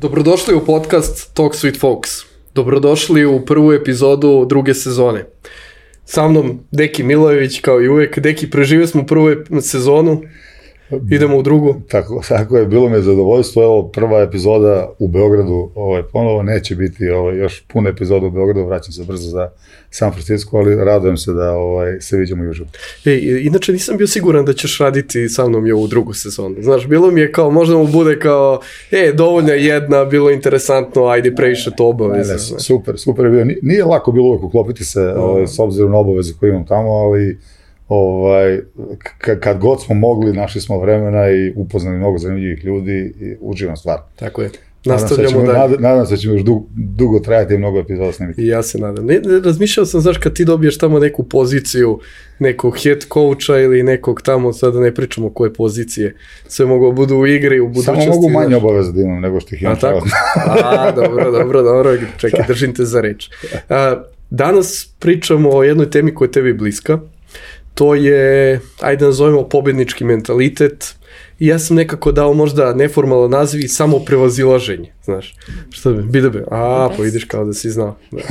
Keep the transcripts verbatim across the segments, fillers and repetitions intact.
Dobrodošli u podcast Talks with Folks. Dobrodošli u prvu epizodu druge sezone. Sa mnom Deki Milojević, kao i uvek. Deki, preživio smo prvu sezonu, idemo u drugu. Tako, tako je, bilo mi je zadovoljstvo. Evo, prva epizoda u Beogradu, ovaj, ponovo neće biti ovaj, još puna epizoda u Beogradu, vraćam se brzo za San Francisco, ali radujem se da ovaj, se vidimo i uživo. E, inače nisam bio siguran da ćeš raditi sa mnom i ovu drugu sezonu. Znaš, bilo mi je kao, možda mu bude kao, e, dovoljna jedna, bilo interesantno, ajde previše to obaveze. Ne, ne, super, super je bio. Nije lako bilo uvek uklopiti se no. ovaj, s obzirom na obaveze koje imam tamo, ali ovaj, k- kad god smo mogli, našli smo vremena i upoznali mnogo zanimljivih ljudi i uživam stvar. Tako je. Nastavljamo dalje. Nadam, nadam se da ćemo još dugo, dugo trajati i mnogo epizoda snimiti. I ja se nadam. Ne, ne, razmišljao sam, znaš, kad ti dobiješ tamo neku poziciju, nekog head coacha ili nekog tamo, sada ne pričamo koje pozicije, sve mogu budu u igri, u budućnosti. Samo mogu manje obaveza da imam nego što ih imam. A tako? A, dobro, dobro, dobro. Čekaj, držim te za reč. A, danas pričamo o jednoj temi koja je tebi bliska. To je, ajde nazovemo, pobednički mentalitet. I ja sam nekako dao možda neformalan naziv i samo prevazilaženje, znaš. Šta bi, bide be, a, pa vidiš kao da si znao. Da.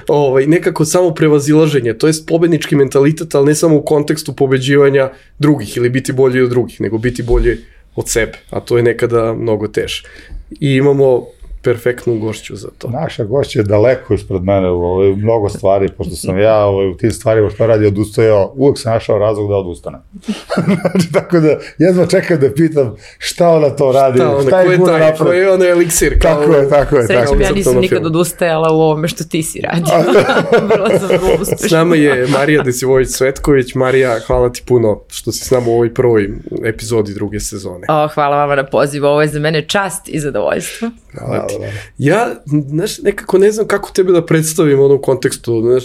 ovaj, nekako samo prevazilaženje, to jest pobednički mentalitet, ali ne samo u kontekstu pobeđivanja drugih ili biti bolji od drugih, nego biti bolji od sebe, a to je nekada mnogo teže. I imamo perfektnu gošću za to. Naša gošća je daleko ispred mene u ovaj, mnogo stvari, pošto sam ja ovaj, u tim stvarima što radi odustajao, uvek sam našao razlog da odustanem. Znači, tako da, jedva čekam da pitam šta ona to radi, šta, ona, šta je gura napraviti. Ko je ono eliksir. Kao, tako je, tako je. Srećem, ja nisam nikad odustajala u ovome što ti si radio. Vrlo sam vrlo uspešna. S nama je Marija Desivojević-Cvetković. Marija, hvala ti puno što si s nama u ovoj prvoj epizodi druge sezone. O, hvala vama na pozivu, ovo je za mene čast i zadovoljstvo. Hvala ti. Ja, znaš, nekako ne znam kako tebe da predstavim ono u kontekstu, znaš,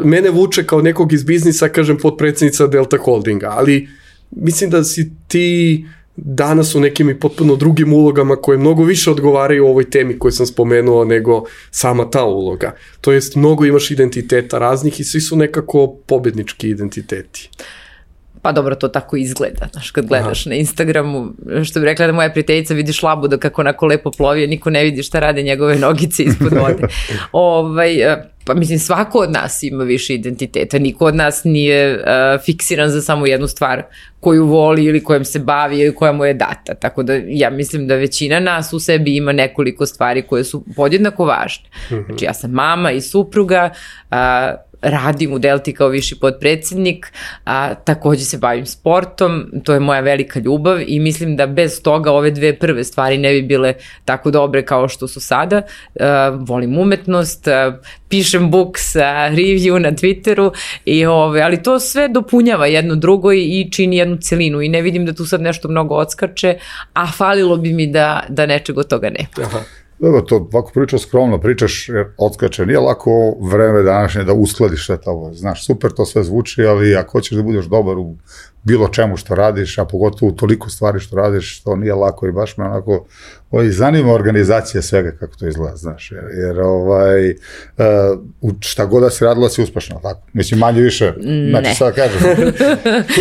mene vuče kao nekog iz biznisa, kažem, potpredsjednica Delta Holdinga, ali mislim da si ti danas u nekim i potpuno drugim ulogama koje mnogo više odgovaraju o ovoj temi koju sam spomenuo nego sama ta uloga. To jest, mnogo imaš identiteta raznih i svi su nekako pobednički identiteti. Pa dobro, to tako izgleda, znaš, kad gledaš Aha. na Instagramu, što bi rekla da moja prijateljica vidiš labuda kako onako lepo plovi, niko ne vidi šta rade njegove nogice ispod vode. ovaj, pa mislim, svako od nas ima više identiteta, niko od nas nije uh, fiksiran za samo jednu stvar koju voli ili kojom se bavi ili koja mu je data, tako da ja mislim da većina nas u sebi ima nekoliko stvari koje su podjednako važne. Znači, ja sam mama i supruga, uh, radim u Delti kao viši potpredsjednik, a takođe se bavim sportom, to je moja velika ljubav i mislim da bez toga ove dve prve stvari ne bi bile tako dobre kao što su sada. Uh, volim umetnost, uh, pišem books, uh, review na Twitteru, i, ove, ali to sve dopunjava jedno drugo i, i čini jednu celinu i ne vidim da tu sad nešto mnogo odskače, a falilo bi mi da, da nečeg od toga ne. Aha. Dobro, to ovako pričaš skromno, pričaš jer odskače, nije lako vreme današnje da uskladiš sve to, znaš, super to sve zvuči, ali ako hoćeš da budeš dobar u bilo čemu što radiš, a pogotovo u toliko stvari što radiš, to nije lako i baš me onako ovaj, zanima organizacija svega kako to izgleda, znaš, jer, jer ovaj, uh, šta god da si radila si uspešno, tako, mislim manje više, znači ne. Sada kažem,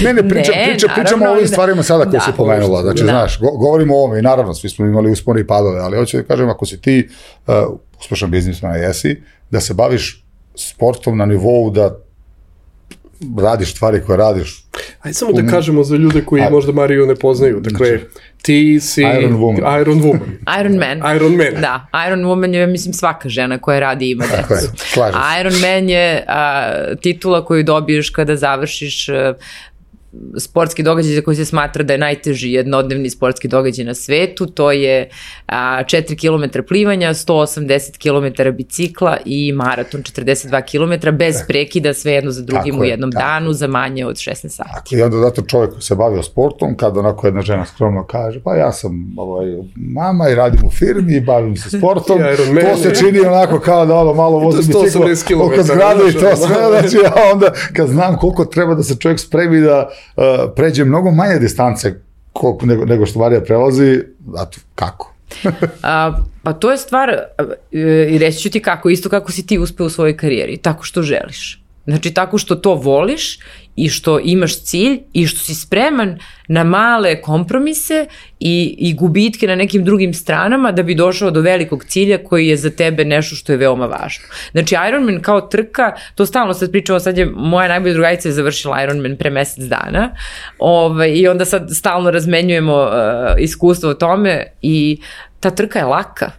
ne, ne, pričam, ne, pričam, pričamo o ovim stvarima sada koje da, si pomenula, znači, da. Znaš, go, govorimo o ovome i naravno, svi smo imali uspone i padove, ali hoću da kažem, ako si ti uh, uspešan biznisman, jesi, da se baviš sportom na nivou da radiš stvari koje radiš. Ajde samo da kažemo za ljude koji Aj, možda Mariju ne poznaju. Dakle, znači, ti si Iron Woman. Iron Woman. Iron Man. Iron Man. Da, Iron Woman je, mislim, svaka žena koja radi i ima decu. Iron Man je a, titula koju dobiješ kada završiš a, sportski događaj za koji se smatra da je najteži jednodnevni sportski događaj na svetu, to je a, četiri kilometra plivanja, sto osamdeset kilometara bicikla i maraton četrdeset dva kilometra bez prekida, sve jedno za drugim tako u jednom je, danu za manje od šesnaest sati. Tako, i onda zato čovjek koji se bavio sportom, kada onako jedna žena skromno kaže, pa ja sam ovaj, mama i radim u firmi i bavim se sportom, to se čini onako kao da ono malo vozim biciklo oko zgrade i to sve, znači ja onda kad znam koliko treba da se čovjek spremi da Uh, pređe mnogo manje distance koliko, nego, nego što Marija prelazi, zato kako? A, pa to je stvar, i reći ću ti kako, isto kako si ti uspeo u svojoj karijeri, tako što želiš. Znači, tako što to voliš i što imaš cilj i što si spreman na male kompromise i, i gubitke na nekim drugim stranama da bi došao do velikog cilja koji je za tebe nešto što je veoma važno. Znači, Ironman kao trka, to stalno sad pričamo, sad je moja najbolja drugarica je završila Ironman pre mesec dana ovaj, i onda sad stalno razmenjujemo uh, iskustvo o tome i ta trka je laka.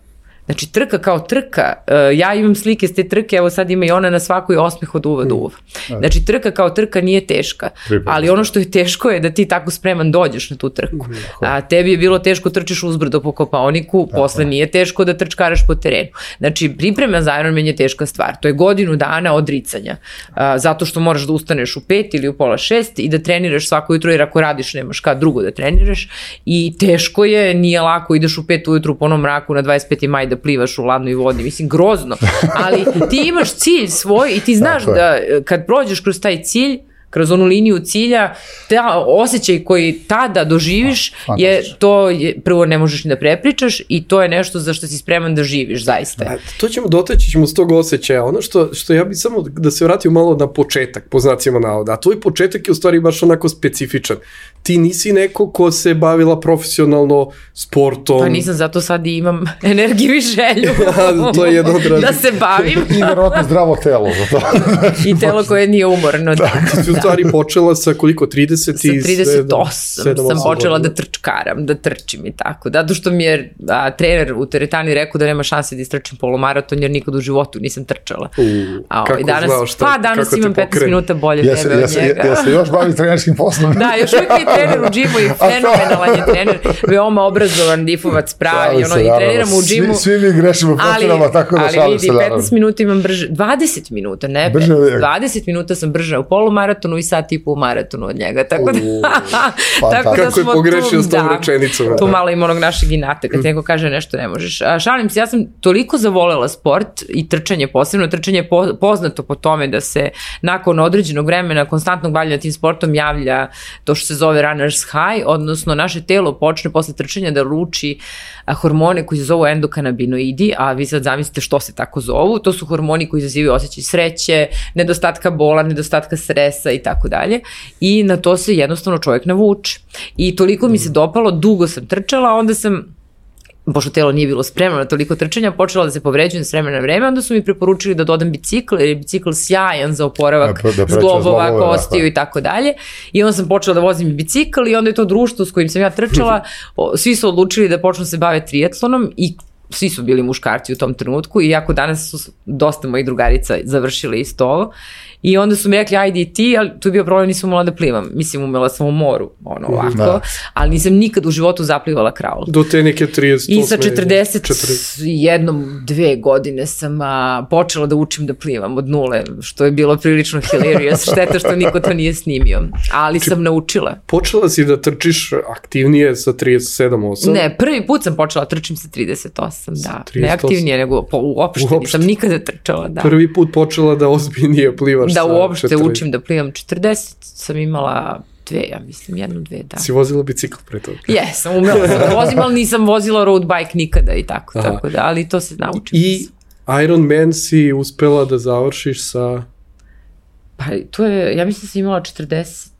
Znači, trka kao trka, uh, ja imam slike s te trke, evo sad ima i ona na svakoj osmeh od uva do uva. Znači, trka kao trka nije teška, ali ono što je teško je da ti tako spreman dođeš na tu trku. A tebi je bilo teško trčiš uzbrdo po Kopaoniku, posle nije teško da trčkaraš po terenu. Znači, priprema za Ironman je teška stvar. To je godinu dana odricanja. Uh, zato što moraš da ustaneš u pet ili u pola šest i da treniraš svako jutro, jer ako radiš nemaš kad drugo da treniraš. I teško je, nije lako, ideš u pet ujutru po onom mraku na dvadeset peti maj da plivaš u ladnoj vodi, mislim, grozno, ali ti imaš cilj svoj i ti znaš da kad prođeš kroz taj cilj, kroz onu liniju cilja, ta osjećaj koji tada doživiš je to, je, prvo ne možeš ni da prepričaš i to je nešto za što si spreman da živiš, zaista. A, to ćemo dotaći ćemo s tog osjećaja. Ono što, što ja bih samo da se vratio malo na početak, po znacima navoda, a tvoj početak je u stvari baš onako specifičan. Ti nisi neko ko se bavila profesionalno sportom. Pa nisam, zato sad i imam energiju i želju to je jedno od da se bavim. I vjerojatno zdravo telo za to. I telo koje nije umorno. Da. Ti si u stvari počela sa koliko, trideset Sa trideset osam sam počela da trčkaram, da trčim i tako. Zato što mi je a, trener u teretani rekao da nema šanse da istrčim polumaraton, jer nikad u životu nisam trčala. U, a, kako danas, znao šta, pa danas imam petnaest minuta bolje ja tebe od njega. Ja se još bavim trenerskim poslom. Da, još uvijek je trener u džimu i fenomenalan je trener, veoma obrazovan, difovac pravi, ono, i treniramo u džimu. Svi, svi mi grešimo profilama, tako da šalim se. Ali vidi, petnaest minuta imam brže, dvadeset minuta, ne, brže, dvadeset minuta sam brže u polumaratonu i sad tipu u maratonu od njega, tako da, tako da kako je pogrešio s tom rečenicom. Tu malo ima onog našeg inata, kad neko kaže nešto ne možeš. A, šalim se, ja sam toliko zavolela sport i trčanje posebno, trčanje je po, poznato po tome da se nakon određenog vremena konstantnog bavljanja tim sportom javlja to što se zove runner's high, odnosno naše telo počne posle trčanja da luči a, hormone koji se zovu endokanabinoidi, a vi sad zamislite što se tako zovu, to su hormoni koji izazivaju osjećaj sreće, nedostatka bola, nedostatka stresa i tako dalje, i na to se jednostavno čovjek navuče. I toliko mi se dopalo, dugo sam trčala, onda sam, pošto telo nije bilo spremno na toliko trčanja, počela da se povređujem s vremena na vreme, onda su mi preporučili da dodam bicikl, jer je bicikl sjajan za oporavak da, da zglobova, kostiju i tako dalje. I onda sam počela da vozim bicikl i onda je to društvo s kojim sam ja trčala, svi su odlučili da počnu se bave triatlonom i svi su bili muškarci u tom trenutku, iako danas su dosta mojih drugarica završili isto ovo. I onda su mi rekli, ajde i ti, ali tu je bio problem, nisam umela da plivam. Mislim, umela sam u moru, ono ovako, da. Ali nisam nikad u životu zaplivala kraul. Do te neke trideset osam. I sa četrdeset jednom, dve godine sam a, počela da učim da plivam od nule, što je bilo prilično hilarious, šteta što niko to nije snimio. Ali Či, sam naučila. Počela si da trčiš aktivnije sa trideset sedam osam? Ne, prvi put sam počela trčim sa trideset osam, da. Ne aktivnije, nego po, uopšte, uopšte nisam nikada trčala, da. Prvi put počela da ozbiljnije plivaš. Da uopšte četrdeset učim da plivam. četrdeset sam imala dve, ja mislim, jednu, dve, da. Si vozila bicikl pre toga? Jesam, umela sam da vozim, ali nisam vozila road bike nikada i tako, Aha. tako da, ali to se naučim. I Ironman si uspela da završiš sa... Pa to je, ja mislim da sam imala četrdeset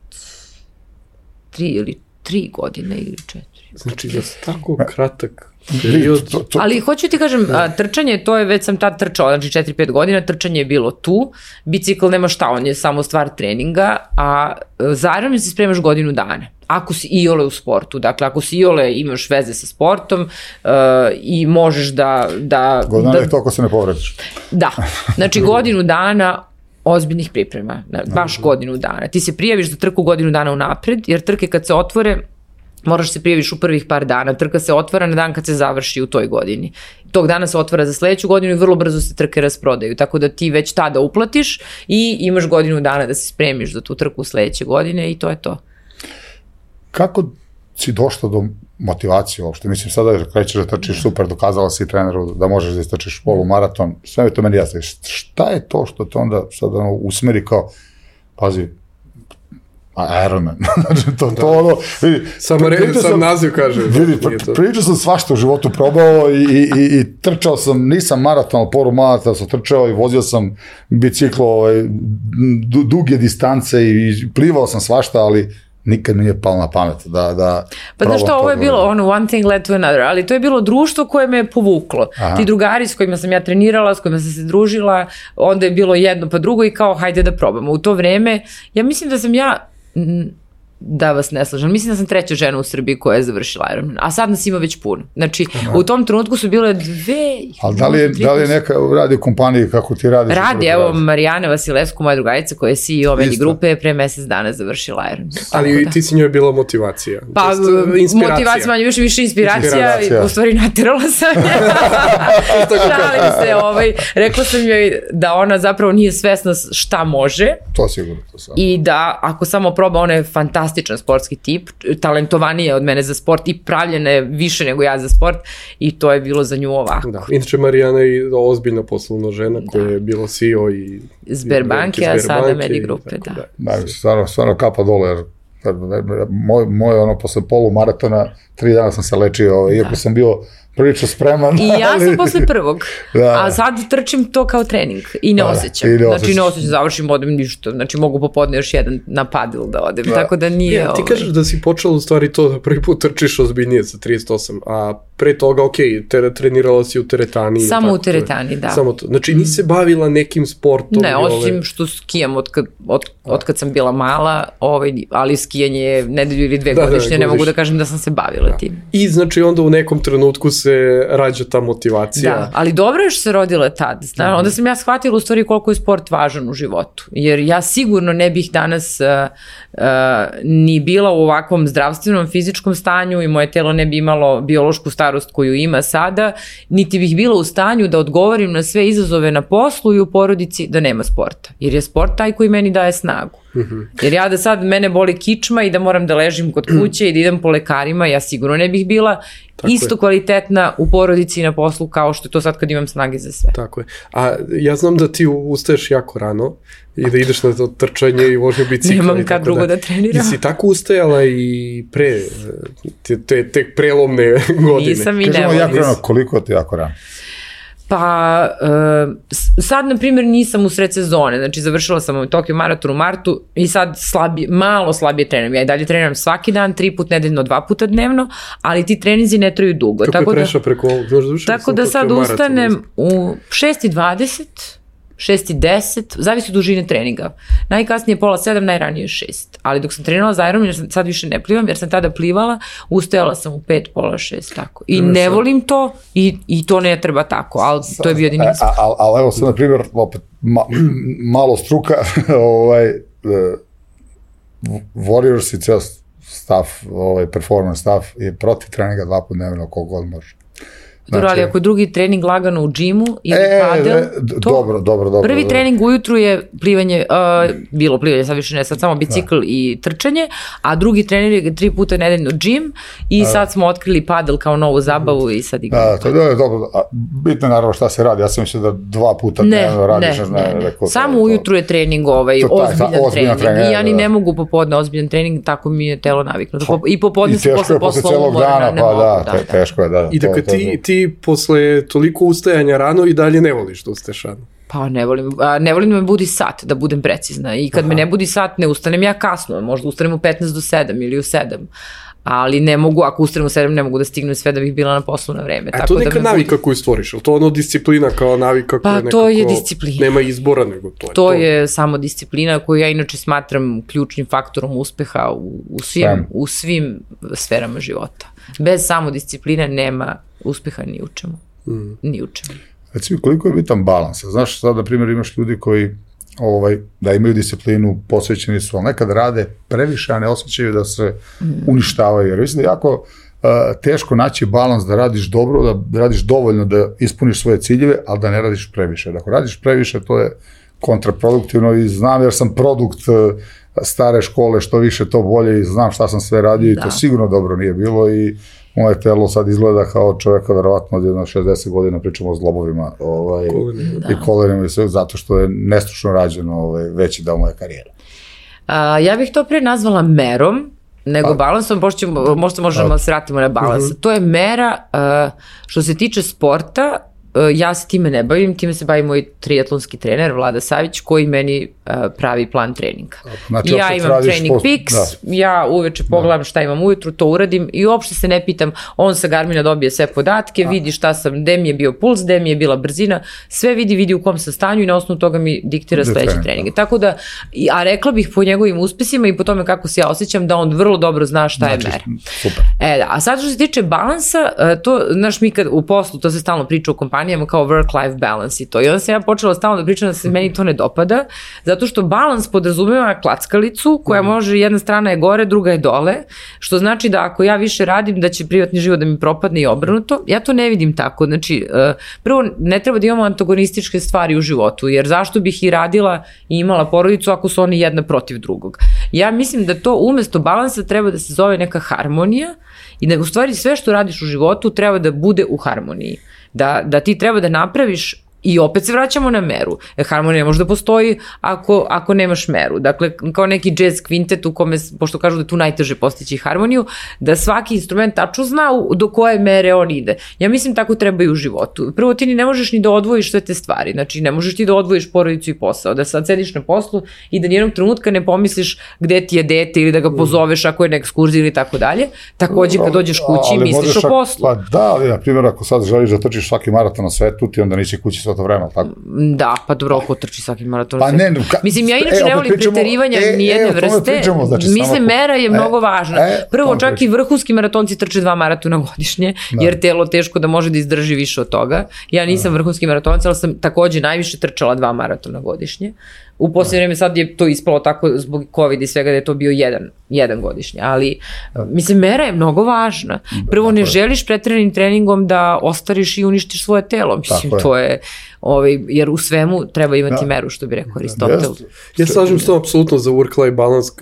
tri ili tri godine ili četiri. Znači, da je tako kratak period. To, to, ali hoću ti kažem, a, trčanje, to je već sam tad trčao, znači četiri pet godina, trčanje je bilo tu, bicikl nema šta, on je samo stvar treninga, a za Ironman se spremaš godinu dana. Ako si iole u sportu, dakle ako si iole imaš veze sa sportom uh, i možeš da... da godina da, je to ako se ne povrediš. Da, znači godinu dana ozbiljnih priprema, baš godinu dana. Ti se prijaviš za trku godinu dana unapred, jer trke kad se otvore, moraš se prijaviš u prvih par dana, trka se otvara na dan kad se završi u toj godini. Tog dana se otvara za sledeću godinu i vrlo brzo se trke rasprodaju, tako da ti već tada uplatiš i imaš godinu dana da se spremiš za tu trku sledeće godine i to je to. Kako si došla do motivacije uopšte? Mislim, sada krećeš da trčiš super, dokazala si treneru da možeš da istrčiš polumaraton, sve je to meni jasno. Šta je to što te onda sad ono, usmeri kao, pazi, A Ironman, znači to, to ono, vidi, Samo re, sam naziv kaže. Vidi, pričao sam svašta u životu probao i, i, i, i trčao sam, nisam maraton, ali poru maraton sam trčao i vozio sam biciklo, ovaj, duge distance i plivao sam svašta, ali nikad mi nije palo na pamet da, da pa znaš što, ovo je bilo ono one thing led to another, ali to je bilo društvo koje me je povuklo. Aha. Ti drugari s kojima sam ja trenirala, s kojima sam se družila, onda je bilo jedno pa drugo i kao hajde da probamo. U to vreme, ja mislim da sam ja, da vas ne slažem, mislim da sam treća žena u Srbiji koja je završila Ironman, a sad nas ima već puno. Znači, aha, u tom trenutku su bile dve... Ali da li je, da li je neka radi u kompaniji kako ti radiš? Radi, evo radi. Marijana Vasilevsku, moja drugarica koja je C E O Medi grupe, je pre mesec dana završila Ironman. Ali da. Ti si njoj bila motivacija. Pa, motivacija, manje više, više inspiracija, inspiracija. U stvari naterala sam je. Šalim se, ovaj, rekla sam joj da ona zapravo nije svesna šta može. To sigurno, to sam. I da, ako samo proba, ona je fantastična sportski tip, talentovanija od mene za sport i pravljena je više nego ja za sport i to je bilo za nju ovako. Da. Inače Marijana je ozbiljna poslovna žena da. Koja je bila C E O i Sberbanke, a sada Medi grupe, da. Da, da stvarno, stvarno kapa dole, jer moj, moj ono, posle polumaratona, tri dana sam se lečio, da. Iako sam bio prilično spreman. I ja sam posle prvog, da. A sad trčim to kao trening i ne da, osjećam. I ne znači osjećam. Ne osjećam, završim, odem ništa. Znači mogu popodne još jedan na padel da odem, da. Tako da nije... Ja, ti kažeš da si počela u stvari to da prvi put trčiš ozbiljnije sa trideset osam, a pre toga, ok, te, trenirala si u teretani. Samo tako, u teretani, da. Samo to. Znači nisi se bavila nekim sportom? Ne, osim ove... što skijam od kad, od, od kad sam bila mala, ovaj, ali skijanje je nedelju ili dve da, godišnje, da, ne mogu da kažem da sam se bavila da. Tim. I znači onda u nekom trenutku se rađa ta motivacija. Da, ali dobro je što se rodila tad. Znači, onda sam ja shvatila u stvari koliko je sport važan u životu. Jer ja sigurno ne bih danas uh, uh, ni bila u ovakvom zdravstvenom, fizičkom stanju i moje telo ne bi imalo biološku starost koju ima sada, niti bih bila u stanju da odgovorim na sve izazove na poslu i u porodici da nema sporta. Jer je sport taj koji meni daje snagu. Mm-hmm. Jer ja da sad mene boli kičma i da moram da ležim kod kuće i da idem po lekarima, ja sigurno ne bih bila tako isto je. Kvalitetna u porodici i na poslu kao što je to sad kad imam snage za sve. Tako je. A ja znam da ti ustaješ jako rano i da ideš na to trčanje i vožnju bicikla. Nemam kad drugo da, da treniram. I si tako ustajala i pre, te, te, te prelomne godine. Nisam i ne volim. Jako rano, koliko ti jako rano? Pa, uh, sad, na primjer, nisam u sred sezone, znači završila sam u Tokio maraton u martu i sad slabije, malo slabije treniram. Ja i dalje treniram svaki dan, tri put nedeljno, dva puta dnevno, ali ti treninzi ne traju dugo. Kako tako je prešao da, preko ovog? Tako da sad ustanem u šest i dvadeset, šest i deset, zavisi od dužine treninga. Najkasnije pola sedam, najranije šest. Ali dok sam trenirala za Ironman, jer sam sad više ne plivam, jer sam tada plivala, ustajala sam u pet, pola šest, tako. I ne volim to i, i to ne treba tako, ali to je bio jedini izbor. Ali al, evo sad, na primjer, opet, ma, malo struka, ovaj, uh, Warriors i ceo staff, ovaj, performance staff je protiv treninga dva put dnevno, koliko god može. Dobro, ali ako je drugi trening lagano u džimu ili e, padel, e, to, dobro, dobro, dobro, prvi dobro. trening ujutru je plivanje, uh, bilo plivanje, sad više ne, sad samo bicikl da. I trčanje, a drugi trening je tri puta nedeljno džim i da. Sad smo otkrili padel kao novu zabavu i sad igramo. Da, to je dobro, a bitno je naravno šta se radi, ja sam mislio da dva puta dnevno radiš. Ne, ne, ne, ne. Samo to, ujutru je trening ovaj, to, ozbiljan, taj, ozbiljan trening, trening i ja ni da. Ne mogu popodne ozbiljan trening, tako mi je telo naviknuto. I popodne se posle posla umora, ne mogu. Da, teško je, da. I dakle ti posle toliko ustajanja rano i dalje ne voliš da ustaješ rano? Pa ne volim, a, ne volim da me budi sat, da budem precizna. I kad Aha. Me ne budi sat, ne ustanem ja kasno, možda ustanem u petnaest do sedam ili u sedam. Ali ne mogu, ako ustanem u sedam, ne mogu da stignem sve da bih bila na poslu na vreme. A tako to neka da navika budi... koju stvoriš, ali to ono disciplina kao navika koja pa, nekako... to je disciplina. Nema izbora, nego to je to. To je samo disciplina koju ja inače smatram ključnim faktorom uspeha u, u, svim, u svim sferama života. Bez samo discipline nema uspeha ni u čemu. Mm. Ni u čemu. Reci mi, koliko je bitan balans? Znaš, sad, na primjer, imaš ljudi koji ovaj, da imaju disciplinu, posvećeni su, ali nekad rade previše, a ne osjećaju da se mm. uništavaju. Jer mislim da je jako uh, teško naći balans da radiš dobro, da, da radiš dovoljno da ispuniš svoje ciljeve, ali da ne radiš previše. Da ako radiš previše, to je kontraproduktivno i znam jer sam produkt uh, stare škole, što više to bolje i znam šta sam sve radio da. I to sigurno dobro nije bilo i moje telo sad izgleda kao čovjeka verovatno od jedno šezdeset godina, pričamo o zglobovima ovaj, i kolenima i sve, zato što je nestručno rađeno ovaj, veći deo moje karijere. A, ja bih to pre nazvala merom, nego pa. balansom, pošto možda možemo da se vratimo na balans. Uh-huh. To je mera, uh, što se tiče sporta, uh, ja se time ne bavim, time se bavi moj triatlonski trener Vlada Savić, koji meni uh, pravi plan treninga. Znači, ja imam trening post... Peaks, da. ja uveče pogledam da. šta imam ujutru, to uradim i uopšte se ne pitam, on sa Garmina dobije sve podatke, a. vidi šta sam, gde mi je bio puls, gde mi je bila brzina, sve vidi, vidi u kom sam stanju i na osnovu toga mi diktira sledeće trening, treninge. Da. Tako da, a rekla bih po njegovim uspesima i po tome kako se ja osjećam, da on vrlo dobro zna šta znači, je mera. Super. E da, a sad što se tiče balansa, to, znaš, mi kad u poslu, to se stalno priča u kompanijama kao work-life balance i to. I onda sam ja počela stalno da pričam da se meni to ne dopada, zato što balans podrazumeva klackalicu koja može, jedna strana je gore, druga je dole, što znači da ako ja više radim, da će privatni život da mi propadne i obrnuto. Ja to ne vidim tako. Znači, prvo, ne treba da imamo antagonističke stvari u životu, jer zašto bih i radila i imala porodicu ako su oni jedna protiv drugog. Ja mislim da to umesto balansa treba da se zove neka harmonija i da u stvari sve što radiš u životu treba da bude u harmoniji. Da, da ti treba da napraviš. I opet se vraćamo na meru. E, harmonija može da postoji ako, ako nemaš meru. Dakle, kao neki jazz kvintet u kome, pošto kažu da je tu najteže postići harmoniju, da svaki instrument tačno zna do koje mere on ide. Ja mislim tako treba i u životu. Prvo, ti ni ne možeš ni da odvojiš sve te stvari. Znači, ne možeš ti da odvojiš porodicu i posao. Da sad sediš na poslu i da nijednog trenutka ne pomisliš gde ti je dete ili da ga pozoveš ako je na ekskurziji ili tako dalje. Takođe, kad dođeš kući, ali misliš o poslu. Pa da, ali na primjer, ako sad želiš da trčiš svaki maraton na svetu, ti onda neće kući to vreme, tako? Da, pa dobro, ko trči svaki maraton. Pa ne, ka, mislim, ja inače e, ne volim preterivanja e, nijedne e, vrste. Pričamo, znači, mislim, mera je e, mnogo važna. E, Prvo, čak pričamo. I vrhunski maratonci trče dva maratona godišnje, da. Jer telo teško da može da izdrži više od toga. Ja nisam da. vrhunski maratonac, ali sam takođe najviše trčala dva maratona godišnje. U posljednje vreme sad je to ispalo tako zbog COVID i svega da je to bio jedan, jedan godišnje, ali mislim, mera je mnogo važna. Prvo, ne želiš pretrenim treningom da ostariš i uništiš svoje telo, mislim, to je, ovaj, jer u svemu treba imati meru, što bi rekao Aristotel. Ja slažem s tom apsolutno za work-life balance.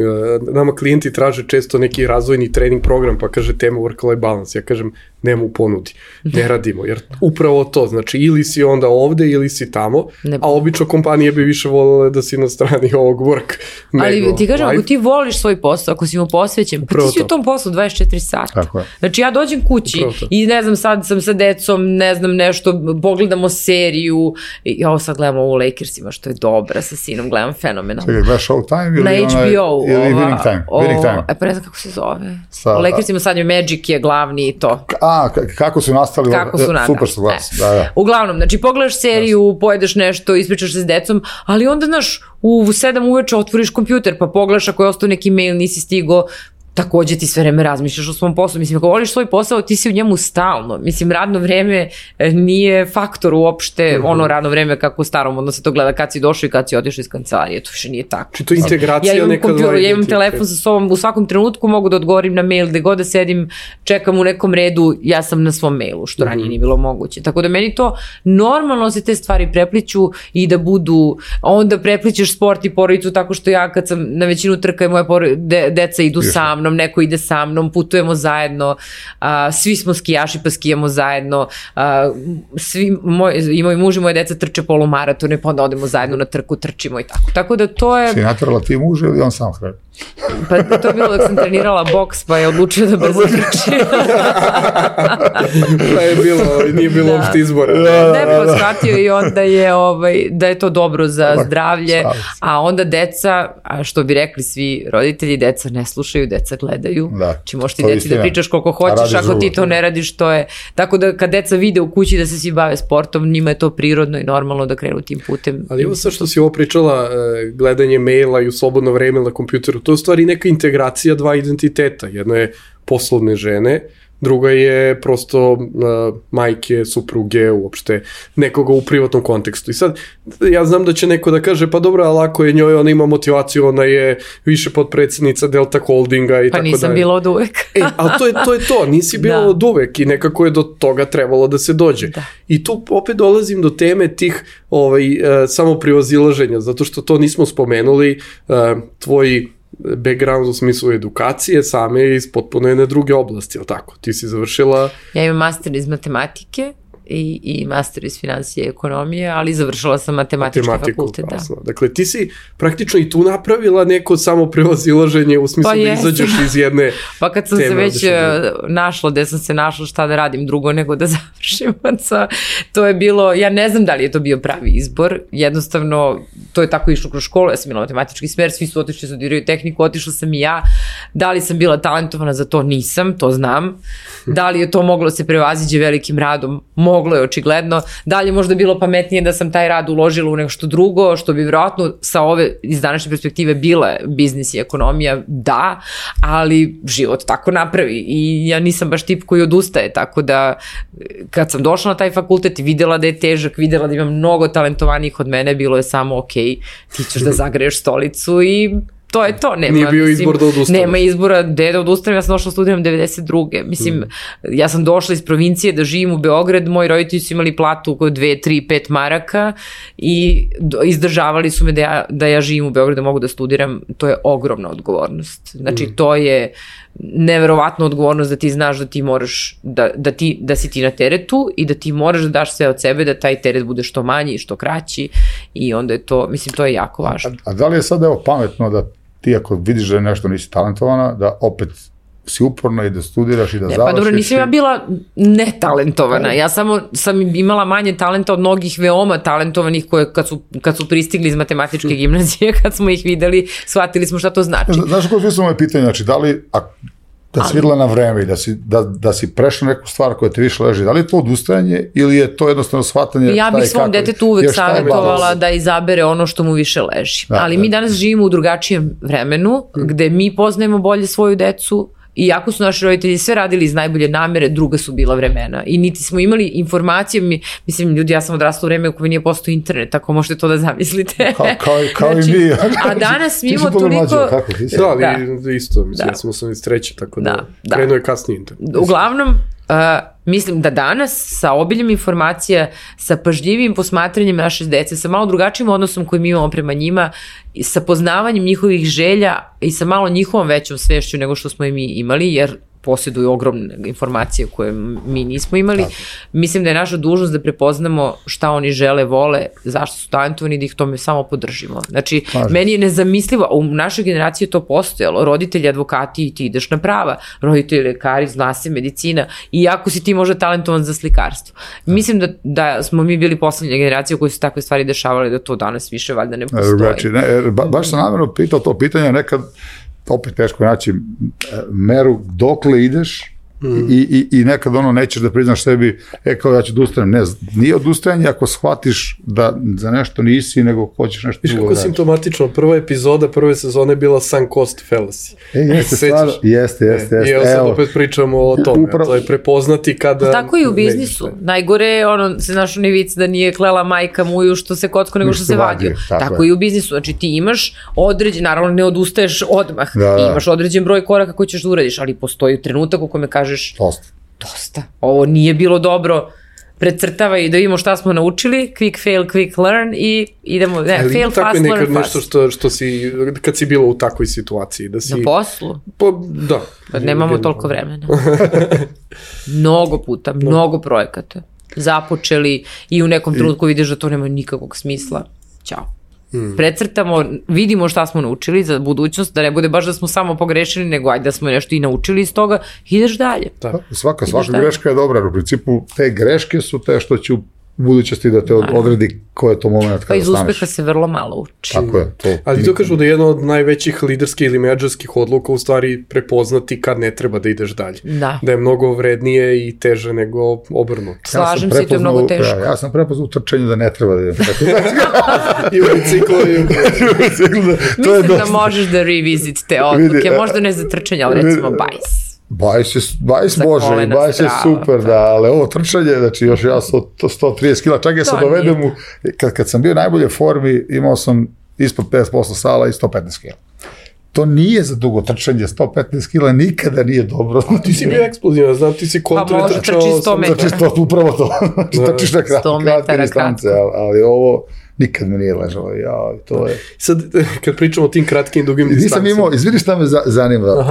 Nama klijenti traže često neki razvojni trening program, pa kaže tema work-life balance. Ja kažem, nema u ponudi, ne radimo, jer upravo to, znači ili si onda ovde ili si tamo, a obično kompanije bi više voljele da si na strani ovog work. Ali ti kažem, ako ti voliš svoj posao, ako si mu posvećen, pa ti si u tom poslu dvadeset četiri sata. Znači ja dođem kući i ne znam, sad sam sa decom, ne znam nešto, pogledamo seriju, i ovo sad gledamo u Lakersima, što je dobra, sa sinom gledam fenomenalno. Čekaj, gledaš Showtime ili na H B O, ili Winning Time? Winning Time. E pa ne znam kako se zove. U Lakersima sad je Magic je glavni i to. A, kako su nastali? Kako su nastali. Super su glas. Da, da. Uglavnom, znači pogledaš seriju, pojedeš nešto, ispričaš se s decom, ali onda, znaš, u sedam uveče otvoriš kompjuter, pa pogledaš ako je ostao neki mail, nisi stigo, takođe ti sve vreme razmišljaš o svom poslu. Mislim, ako voliš svoj posao, ti si u njemu stalno. Mislim, radno vreme nije faktor uopšte, mm-hmm. ono radno vreme kako u starom, onda se to gleda kad si došao i kad si otišao iz kancelarije, to više nije tako. Či to integracija ja nekad... Kompjuter, ja imam telefon sa sobom, u svakom trenutku mogu da odgovorim na mail, gde god da sedim, čekam u nekom redu, ja sam na svom mailu, što ranije nije bilo moguće. Tako da meni to normalno se te stvari prepliću i da budu, onda preplićeš sport i porodicu tako što ja kad sam na većinu trka i moje porodice, de, deca idu sa mnom, neko ide sa mnom, putujemo zajedno, a, svi smo skijaši pa skijamo zajedno, a, svi, moj, i moj muž i moje deca trče polumaratone, pa onda odemo zajedno na trku, trčimo i tako. Tako da to je... Si natrala ti muž ili on sam hrani? Pa to je bilo dok sam trenirala boks, pa je odlučio da brzo trči. Pa je bilo, nije bilo uopšte izbora. Ne, pa shvatio i onda je, ovaj, da je to dobro za zdravlje, a onda deca, a što bi rekli svi roditelji, deca ne slušaju, deca gledaju. Či možeš ti deci da pričaš koliko hoćeš, ako ti to ne radiš, to je... Tako da kad deca vide u kući da se svi bave sportom, njima je to prirodno i normalno da krenu tim putem. Ali evo sad što si ovo pričala, gledanje maila i u slobodno vreme na kompjuteru, to je u stvari neka integracija dva identiteta. Jedno je poslovne žene, druga je prosto uh, majke, supruge, uopšte nekoga u privatnom kontekstu. I sad, ja znam da će neko da kaže, pa dobro, ali ako je njoj, ona ima motivaciju, ona je više podpredsjednica Delta Holdinga i pa tako dalje. Pa nisam bila od uvek. E, ali to je to, je to. Nisi bila da. od uvek i nekako je do toga trebalo da se dođe. Da. I tu opet dolazim do teme tih ovaj, uh, samoprivazilaženja, zato što to nismo spomenuli, uh, tvoji background u smislu edukacije same iz potpuno jedne druge oblasti, ali tako? Ti si završila... Ja imam master iz matematike i, i master iz financije i ekonomije, ali završila sam matematički Matematiku, fakultet. Da. Dakle, ti si praktično i tu napravila neko samo prevazilaženje u smislu Pa da jesam. izađeš iz jedne Pa kad sam se teme, već odeš u drugu. našla, gde sam se našla šta da radim drugo nego da završim, to je bilo, ja ne znam da li je to bio pravi izbor, jednostavno to je tako išlo kroz školu, ja sam imala matematički smer, svi su otišli, studiraju tehniku, otišla sam i ja, da li sam bila talentovana za to, nisam, to znam, da li je to moglo se prevaziđe velikim radom, moglo je očigledno, da li je možda bilo pametnije da sam taj rad uložila u nešto drugo, što bi vjerojatno sa ove, iz današnje perspektive bila biznis i ekonomija, da, ali život tako napravi i ja nisam baš tip koji odustaje, tako da kad sam došla na taj fakultet i videla da je težak, videla da ima mnogo talentovanijih od mene, bilo je samo ok, ti ćeš da zagreješ stolicu i to je to. Nema, Nije bio mislim, izbor da odustaneš. Nema izbora gde da odustanem, ja sam došla studiram devedeset druge Mislim, mm. ja sam došla iz provincije da živim u Beograd, moji roditelji su imali platu oko dve, tri, pet maraka i izdržavali su me da ja, da ja živim u Beogradu, da mogu da studiram, to je ogromna odgovornost. Znači, mm. to je neverovatna odgovornost da ti znaš da ti moraš, da, da, ti, da si ti na teretu i da ti moraš da daš sve od sebe, da taj teret bude što manji i što kraći i onda je to, mislim, to je jako važno. A, a da li je sad evo pametno da ti ako vidiš da je nešto nisi talentovana, da opet si uporna i da studiraš i da ne, završiš? Pa dobro, nisam ja bila netalentovana, ja samo sam imala manje talenta od mnogih veoma talentovanih koje kad su, kad su pristigli iz matematičke gimnazije, kad smo ih videli, shvatili smo šta to znači. Znaš kako je moje pitanje, znači da li, a, da si videla na vreme i da si, da, da si prešla neku stvar koja te više leži, da li je to odustajanje ili je to jednostavno shvatanje? Ja bih svom detetu uvek savjetovala da izabere ono što mu više leži. Da, ali da. Mi danas živimo u drugačijem vremenu, gde mi poznajemo bolje svoju decu, iako su naši roditelji sve radili iz najbolje namere, druga su bila vremena. I niti smo imali informacije, mi, mislim, ljudi, ja sam odrasla u vreme u kojoj nije postao internet, tako možete to da zamislite. Kao, kao, kao znači, i mi. A danas mi imamo toliko... Mlađe, kako, da, ali da. isto, mislim, da. ja sam sam iz treće, tako da, da krenuo je kasnije internet. Uglavnom, uh, mislim da danas sa obiljem informacija, sa pažljivim posmatranjem naše dece, sa malo drugačijim odnosom koji mi imamo prema njima, sa poznavanjem njihovih želja i sa malo njihovom većom svešću nego što smo i mi imali, jer posjeduju ogromne informacije koje mi nismo imali. Tako. Mislim da je naša dužnost da prepoznamo šta oni žele, vole, zašto su talentovani, da ih tome samo podržimo. Znači, Pažem. meni je nezamislivo, u našoj generaciji je to postojalo, roditelji advokati i ti ideš na prava, roditelji lekari, zna se medicina, iako si ti možda talentovan za slikarstvo. Da. Mislim da, da smo mi bili poslednja generacija u kojoj su takve stvari dešavale, da to danas više valjda ne postoji. Znači, ne, ba, baš sam namjerno pitao to pitanje, nekad opet teško naći meru dokle ideš mm. i, i, i nekad ono nećeš da priznaš sebi, e kao ja ću da ustanem. Ne, nije odustajanje ako shvatiš da za nešto nisi, nego hoćeš nešto drugo. Viš kako simptomatično, prva epizoda prve sezone bila sunk cost fallacy. E, jeste, stvarno, jeste, jeste, jeste. I evo sad opet pričamo o tome, upravo, to je prepoznati kada... Tako i u biznisu. Ne, Najgore je ono, se znaš onaj vic da nije klela majka muju što se kocko nego što se vadio. Tako, tako i u biznisu. Znači ti imaš određen, naravno ne odustaješ odmah, da, da. Imaš određen broj koraka koji ćeš da uradiš, ali postoji trenutak u kome kažeš dosta. Dosta. Ovo nije bilo dobro. Precrtava i da vidimo šta smo naučili, quick fail, quick learn i idemo, ne, ali fail fast, learn fast. Nešto što, što si, kad si bila u takvoj situaciji, da si... Na poslu? Pa, da. Pa nemamo toliko vremena. Mnogo puta, mnogo projekata. Započeli i u nekom trenutku vidiš da to nema nikakvog smisla. Ćao. Hmm. Precrtamo, vidimo šta smo naučili za budućnost, da ne bude baš da smo samo pogrešili, nego ajde da smo nešto i naučili iz toga, ideš dalje. Da. Svaka, svaka greška je dobra, u principu te greške su te što će u budućnosti da te odredi ko je to moment kada staneš. Pa iz uspeha se vrlo malo uči. Tako je. To ali to kažu da je jedna od najvećih liderskih ili menadžerskih odluka u stvari prepoznati kad ne treba da ideš dalje. Da. Da je mnogo vrednije i teže nego obrnuto. Slažem se i to je mnogo teško. Ja sam prepoznao u trčanju da ne treba da idem. I u biciklu. Mislim da možeš da revisit te odluke. Možda ne za trčanje, ali recimo bajs. Bajs je, bajs može i bajs je super, da, ali ovo trčanje, znači još ja sto trideset kila, čak ja se dovedem u, kad, kad sam bio u najbolje formi, imao sam ispod pedeset posto sala i sto petnaest kila. To nije za dugo trčanje, sto petnaest kila nikada nije dobro. A ti si bio eksplozivan, znam, ti si kontra pa trčao. Pa može trči sto metara. Znači, to, upravo to. Znači, trčiš na kratke distance, ali, ali ovo nikad mi nije ležalo. Ja, to je... Sad, kad pričamo o tim kratkim i dugim distancama. Nisam imao, izvini šta me zanima.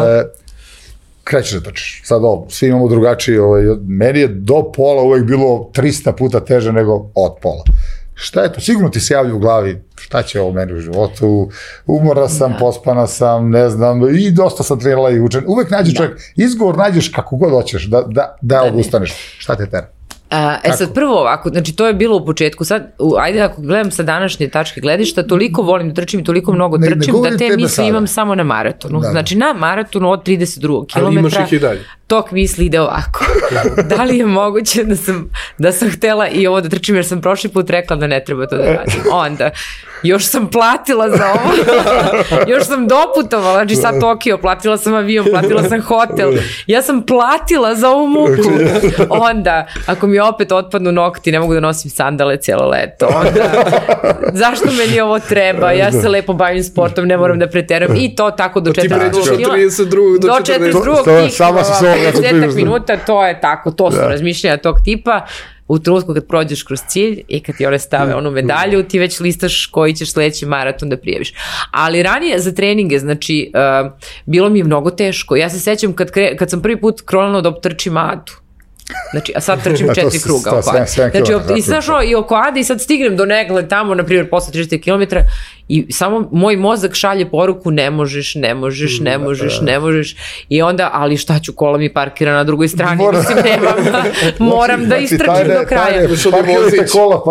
krećeš da trčiš. Sad ovo, svi imamo drugačiji, ovaj, meni je do pola uvek bilo trista puta teže nego od pola. Šta je to? Sigurno ti se javlja u glavi šta će ovo meni u životu, umora sam, da. pospana sam, ne znam, i dosta sam trenirala i učen. Uvek nađeš da. čovjek, izgovor nađeš kako god hoćeš, da, da, da odustaneš. Šta te tera? A, e sad prvo ovako, znači to je bilo u početku, sad, u, ajde ako gledam sa današnje tačke gledišta, toliko volim da trčim i toliko mnogo trčim ne, ne da te misli sada. Imam samo na maratonu. Da. Znači na maratonu od trideset drugog kilometra. Ali imaš ih i dalje. Tok misli ide ovako. Da li je moguće da sam, da sam htela i ovo da trčim jer sam prošli put rekla da ne treba to da radim. Onda, još sam platila za ovo, još sam doputovala, znači sad Tokio, platila sam avion, platila sam hotel, ja sam platila za ovu muku. Onda, ako mi opet otpadnu nokti, ne mogu da nosim sandale cijelo leto, onda, zašto meni ovo treba, ja se lepo bavim sportom, ne moram da preteram i to tako do četrdeset drugog kila. Do četrdeset drugog kila, pedeset minuta, to je tako, to su razmišljanja tog tipa. U trenutku kad prođeš kroz cilj i kad ti one stave onu medalju, ti već listaš koji ćeš sledeći maraton da prijaviš. Ali ranije za treninge, znači, uh, bilo mi je mnogo teško. Ja se sećam kad, kre, kad sam prvi put kronala da optrčim Adu. Znači, a sad trčim četiri kruga oko Ade. Znači, op, i, znaš, i oko Ade i sad stignem do Negle tamo, na primjer, posle trideset kilometara i samo moj mozak šalje poruku ne možeš, ne možeš, ne možeš, ne možeš i onda, ali šta ću, kola mi parkira na drugoj strani, Mora. mislim, nemam, moram da istrčim do kraja. Parkirajte kola,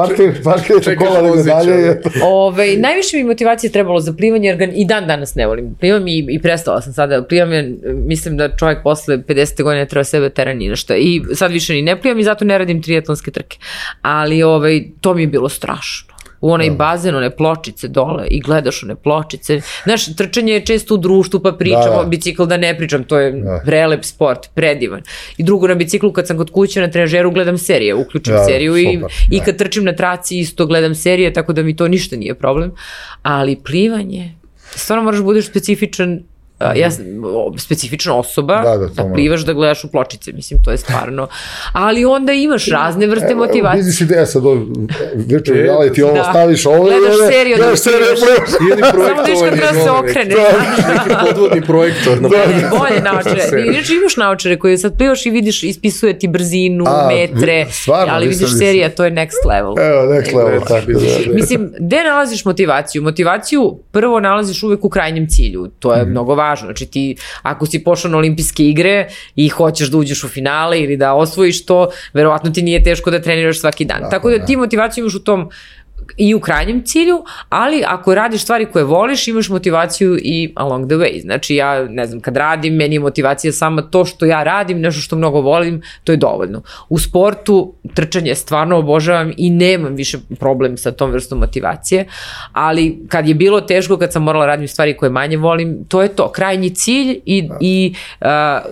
parkirajte kola da dalje. Ove, najviše mi motivacije trebalo za plivanje, jer ga i dan danas ne volim. Plivam i, i prestala sam sada. Plivam je, mislim da čovjek posle pedesete godine treba sebe tera ni nešto. I sad više ni ne plivam i zato ne radim triatlonske trke. Ali ovaj, to mi je bilo strašno. U onaj bazen, one pločice dole i gledaš one pločice. Znaš, trčanje je često u društvu pa pričam, da, da. Bicikl da ne pričam, to je da. prelep sport, predivan. I drugo, na biciklu kad sam kod kuće na trenažeru gledam serije, uključim da, seriju super, i, da. i kad trčim na traci isto gledam serije, tako da mi to ništa nije problem. Ali plivanje, stvarno moraš budeš specifičan, Uh, ja specifična osoba da, da, da plivaš da gledaš u pločice, mislim, to je stvarno, ali onda imaš razne vrste motivacije. Biznis ideja sad, virtual reality, ovo staviš, ovo gledaš seriju, gledaš seriju, samo viš kad treba se okrene. Neki podvodni projektor. Bolje naočare. Inače imaš naočare koje sad plivaš i vidiš, ispisuje ti brzinu, metre, ali vidiš serija, to je next level. Evo, next level, tako da. Mislim, gde nalaziš motivaciju? Motivaciju prvo nalaziš uvek u krajnjem cilju, to je mnogo važno. Znači ti, ako si pošao na olimpijske igre i hoćeš da uđeš u finale ili da osvojiš to, verovatno ti nije teško da treniraš svaki dan. Da, Tako da ti motivaciju imaš u tom i u krajnjem cilju, ali ako radiš stvari koje voliš, imaš motivaciju i along the way. Znači ja, ne znam, kad radim, meni je motivacija samo to što ja radim, nešto što mnogo volim, to je dovoljno. U sportu trčanje stvarno obožavam i nemam više problem sa tom vrstom motivacije, ali kad je bilo teško, kad sam morala radim stvari koje manje volim, to je to, krajnji cilj i, i uh,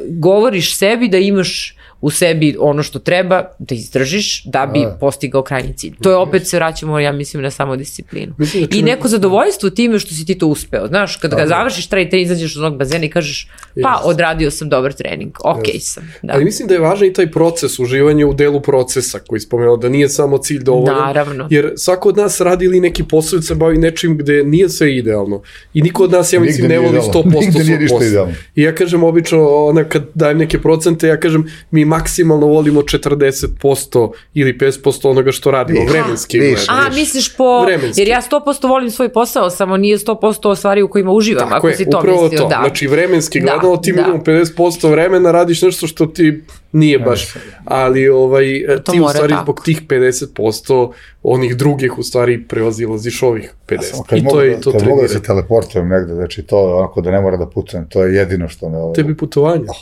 govoriš sebi da imaš u sebi ono što treba da izdržiš da bi a, postigao krajnji cilj. To je opet se vraćamo, ja mislim, na samodisciplinu. Mislim da I neko zadovoljstvo time što si ti to uspeo. Znaš, kada ga završiš taj trening, izađeš od onog bazena i kažeš, pa odradio sam dobar trening, ok sam. Da. Ali mislim da je važan i taj proces, uživanje u delu procesa koji spomenuo, da nije samo cilj dovoljan. Naravno. Jer svako od nas radi ili neki posao se bavi nečim gde nije sve idealno. I niko od nas, ja mislim, ne voli sto posto svoj posao. I ja kažem, obično, ona, kad dajem neke procente, ja kažem, mi maksimalno volimo četrdeset posto ili pedeset posto onoga što radimo, vremenski. A, misliš po, vremenski. Jer ja sto posto volim svoj posao, samo nije sto posto stvari u kojima uživam, tako ako je, si to mislio. To. Da. Znači, vremenski gledano, ti minimum pedeset posto vremena radiš nešto što ti nije baš, ali ovaj, ti u stvari tako. Zbog tih pedeset posto onih drugih u stvari prevazilaziš ovih pedeset. Kad I mogu, to je to kad mogu da se teleportujem negde, znači to je onako da ne mora da putujem, to je jedino što me... Ovaj... Tebi putovanje? Oh,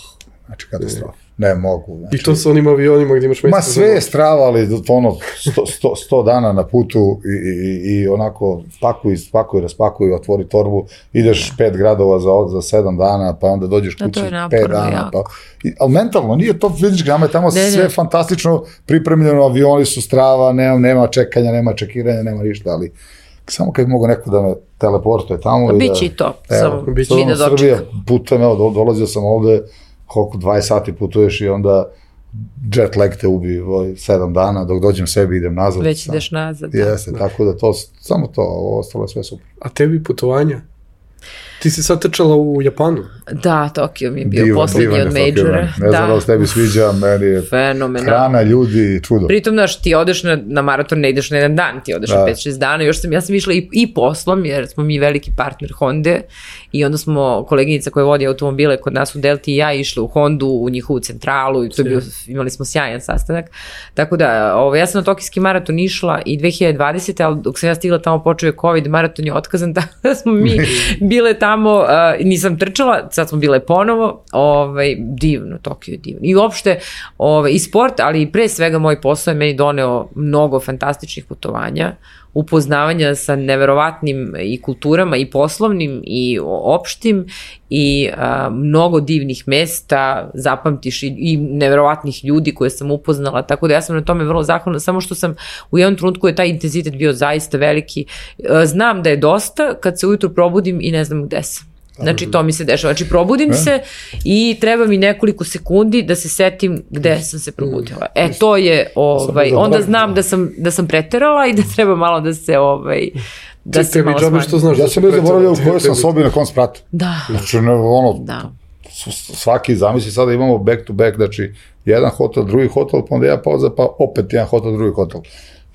znači katastrofa. Ne mogu. Znači, I to sa onim avionima gdje imaš mjesto? Ma sve je strava, ali ono sto, sto, sto dana na putu i, i, i onako pakuj, spakuj, raspakuj, otvori torbu, ideš pet gradova za, za sedam dana, pa onda dođeš kući pet dana. Pa, i, ali mentalno, nije to fizički, nama je tamo ne, sve ne. fantastično pripremljeno, avioni su strava, nema, nema čekanja, nema čekiranja, nema ništa, ali samo kad bi mogo neko da me teleportuje tamo. Biće i to, samo biće i da dočekam. Srbija, putem, evo, dolazio sam ovde, koliko dvadeset sati putuješ i onda jet lag te ubi sedam dana, dok dođem sebi idem nazad. Već ideš nazad. Jeste, da. Tako da to, samo to, ovo ostalo je sve super. A tebi putovanja? Ti si sad trčala u Japanu? Da, Tokio mi je bio Divan, poslednji divan od je Tokio, majora. ne. Ne znam da li se tebi sviđa, meni je Fenomenalno. hrana, ljudi, čudo. Pritom, znaš, ti odeš na, na maraton, ne ideš na jedan dan, ti odeš Da. na pet šest dana, još sam, ja sam išla i, i poslom, jer smo mi veliki partner Honda i onda smo koleginica koja vodi automobile kod nas u Delti i ja išli u Hondu, u njihovu centralu i to je bio, imali smo sjajan sastanak. Tako da, ovo, ja sam na Tokijski maraton išla i dve hiljade dvadesete. ali dok sam ja stigla tamo počeo je COVID, maraton je otkazan, tako da smo mi bile tamo, uh, nisam trčala, sad smo bile ponovo, ovaj, divno, Tokio je divno. I uopšte, ovaj, i sport, ali i pre svega moj posao je meni doneo mnogo fantastičnih putovanja, upoznavanja sa neverovatnim i kulturama i poslovnim i opštim i a, mnogo divnih mesta, zapamtiš i, i neverovatnih ljudi koje sam upoznala, tako da ja sam na tome vrlo zahvalna, samo što sam u jednom trenutku je taj intenzitet bio zaista veliki. A, znam da je dosta kad se ujutru probudim i ne znam gde sam. Znači to mi se dešava, znači probudim e? se i treba mi nekoliko sekundi da se setim gde sam se probudila. E to je, ovaj, onda znam da sam, da sam preterala i da treba malo da se, ovaj, da Ti, se malo smanji. Što znaš ja da sam bez zaboravljao u kojoj sam sobi na kom spratu. Da. Znači, ne, ono, Da. svaki, zamisli sada imamo back to back, znači jedan hotel, drugi hotel, pa onda jedna pauza, pa opet jedan hotel, drugi hotel.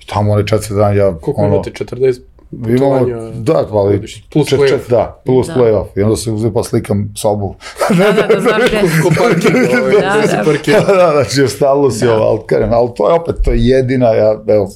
I tamo one četiri dana ja... Koliko ono, imate, četrdeset imamo, da, ali plus čet, play-off. čet, da, plus Da. play-off. I onda se uzim pa slikam sobu. Da, da, da, znam gde. Ko parking, ovaj, Da, gde se da. parkira. da, da, znači ostalo si ovo, ali kažem, ali to je opet, to je jedina, ja, evo,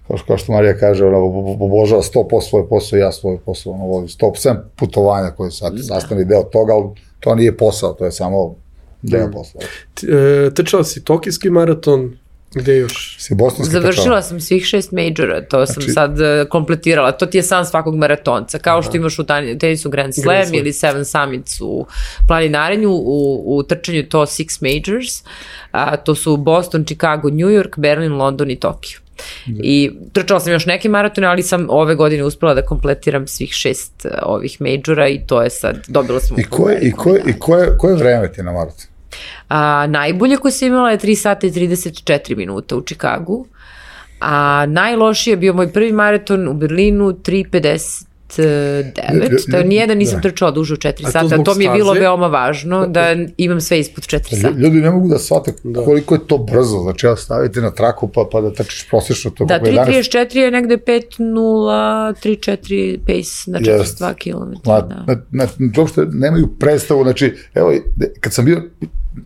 kao što, kao što Marija kaže, ona obožava sto posto svoj posao, ja svoj posao, ono, volim sto posto putovanja koji sad sastavni deo toga, ali to nije posao, to je samo deo posla. Ti, e, Trčala si Tokijski maraton, gde još? Si bosanski Završila trčao? sam svih šest majora, to sam Znači- sad uh, kompletirala. To ti je san svakog maratonca, kao što imaš u tani- tenisu Grand Slam, Grand Slam. ili Seven Summits u planinarenju, u, u trčanju to Six Majors, a, to su Boston, Chicago, New York, Berlin, London i Tokio. I trčala sam još neke maratone, ali sam ove godine uspela da kompletiram svih šest uh, ovih majora i to je sad, dobila sam... I koje, i koje, i koje, koje vreme ti je na maratonu? A, najbolje koje sam imala je tri sata i trideset četiri minuta u Čikagu, a najlošiji je bio moj prvi maraton u Berlinu, tri pedeset devet, to nijedan nisam trčala duže od četiri A to sata, zbog to mi je bilo staze? veoma važno, da imam sve ispod četiri sata. Ljudi ne mogu da shvate koliko je to brzo, znači ja stavite na traku pa, pa da trčiš prosječno to. Da, kako je tri danas. trideset četiri je negde pet nula tri četiri pace na četrdeset dva kilometra. Ma, Da. na, na, uopšte nemaju predstavu, znači, evo, kad sam bio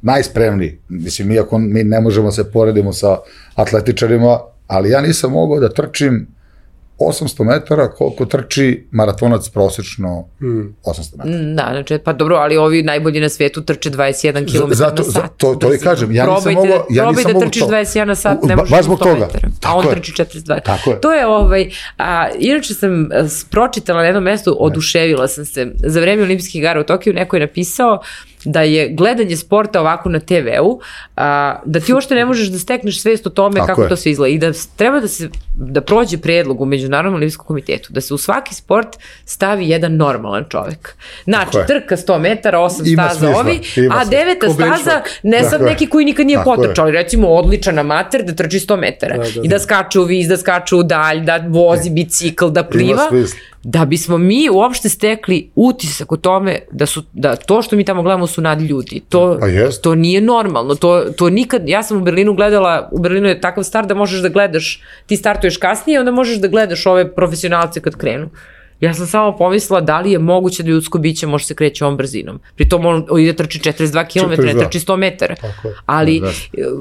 najspremniji, mislim, mi, ako, mi ne možemo se poredimo sa atletičarima, ali ja nisam mogao da trčim osamsto metara koliko trči maratonac prosječno Hmm. osamsto metara. Mm, Da, znači, pa dobro, ali ovi najbolji na svetu trče dvadeset jedan kilometar Zato- na sat. za- to- to i brzinom. kažem, ja nisam Probajte mogao- da- ja probaj nisam da mogao trčiš to. dvadeset jedan na sat, ne Ba- možeš baš ni zbog sto toga. metara. A Tako on je. trči četrdeset dva. Tako je. To je ovaj, a, inače sam a, s- pročitala na jednom mestu, oduševila sam se. Za vreme olimpijskih igara u Tokiju neko je napisao da je gledanje sporta ovako na te veu, a, da ti uopšte ne možeš da stekneš svest o tome Tako kako je. to sve izgleda i da s- treba da se da prođe predlog u Međunarodnom olimpijskom komitetu, da se u svaki sport stavi jedan normalan čovek. Znači, Tako je. trka sto metara, osam Ima staza smisla, ovi, ima a smisla. deveta Ko staza, benchmark. ne Tako sad je. neki koji nikad nije Tako je. potrčao, ali recimo odličan amater da trči sto metara Da, da, i da skače u vis, da skače u dalj, da vozi bicikl, da pliva, smisla. da bismo mi uopšte stekli utisak o tome da su da to što mi tamo gledamo su nadljudi. To, Pa jest. to nije normalno. To, to nikad, ja sam u Berlinu gledala, u Berlinu je takav start da možeš da gledaš, ti startuješ kasnije, onda možeš da gledaš ove profesionalce kad krenu. Ja sam samo pomislila da li je moguće da ljudsko biće može se kreće ovom brzinom. Pri tom on ide trči četrdeset dva kilometra, ne četrdeset dva. trči sto metara. Tako je. Ali Da.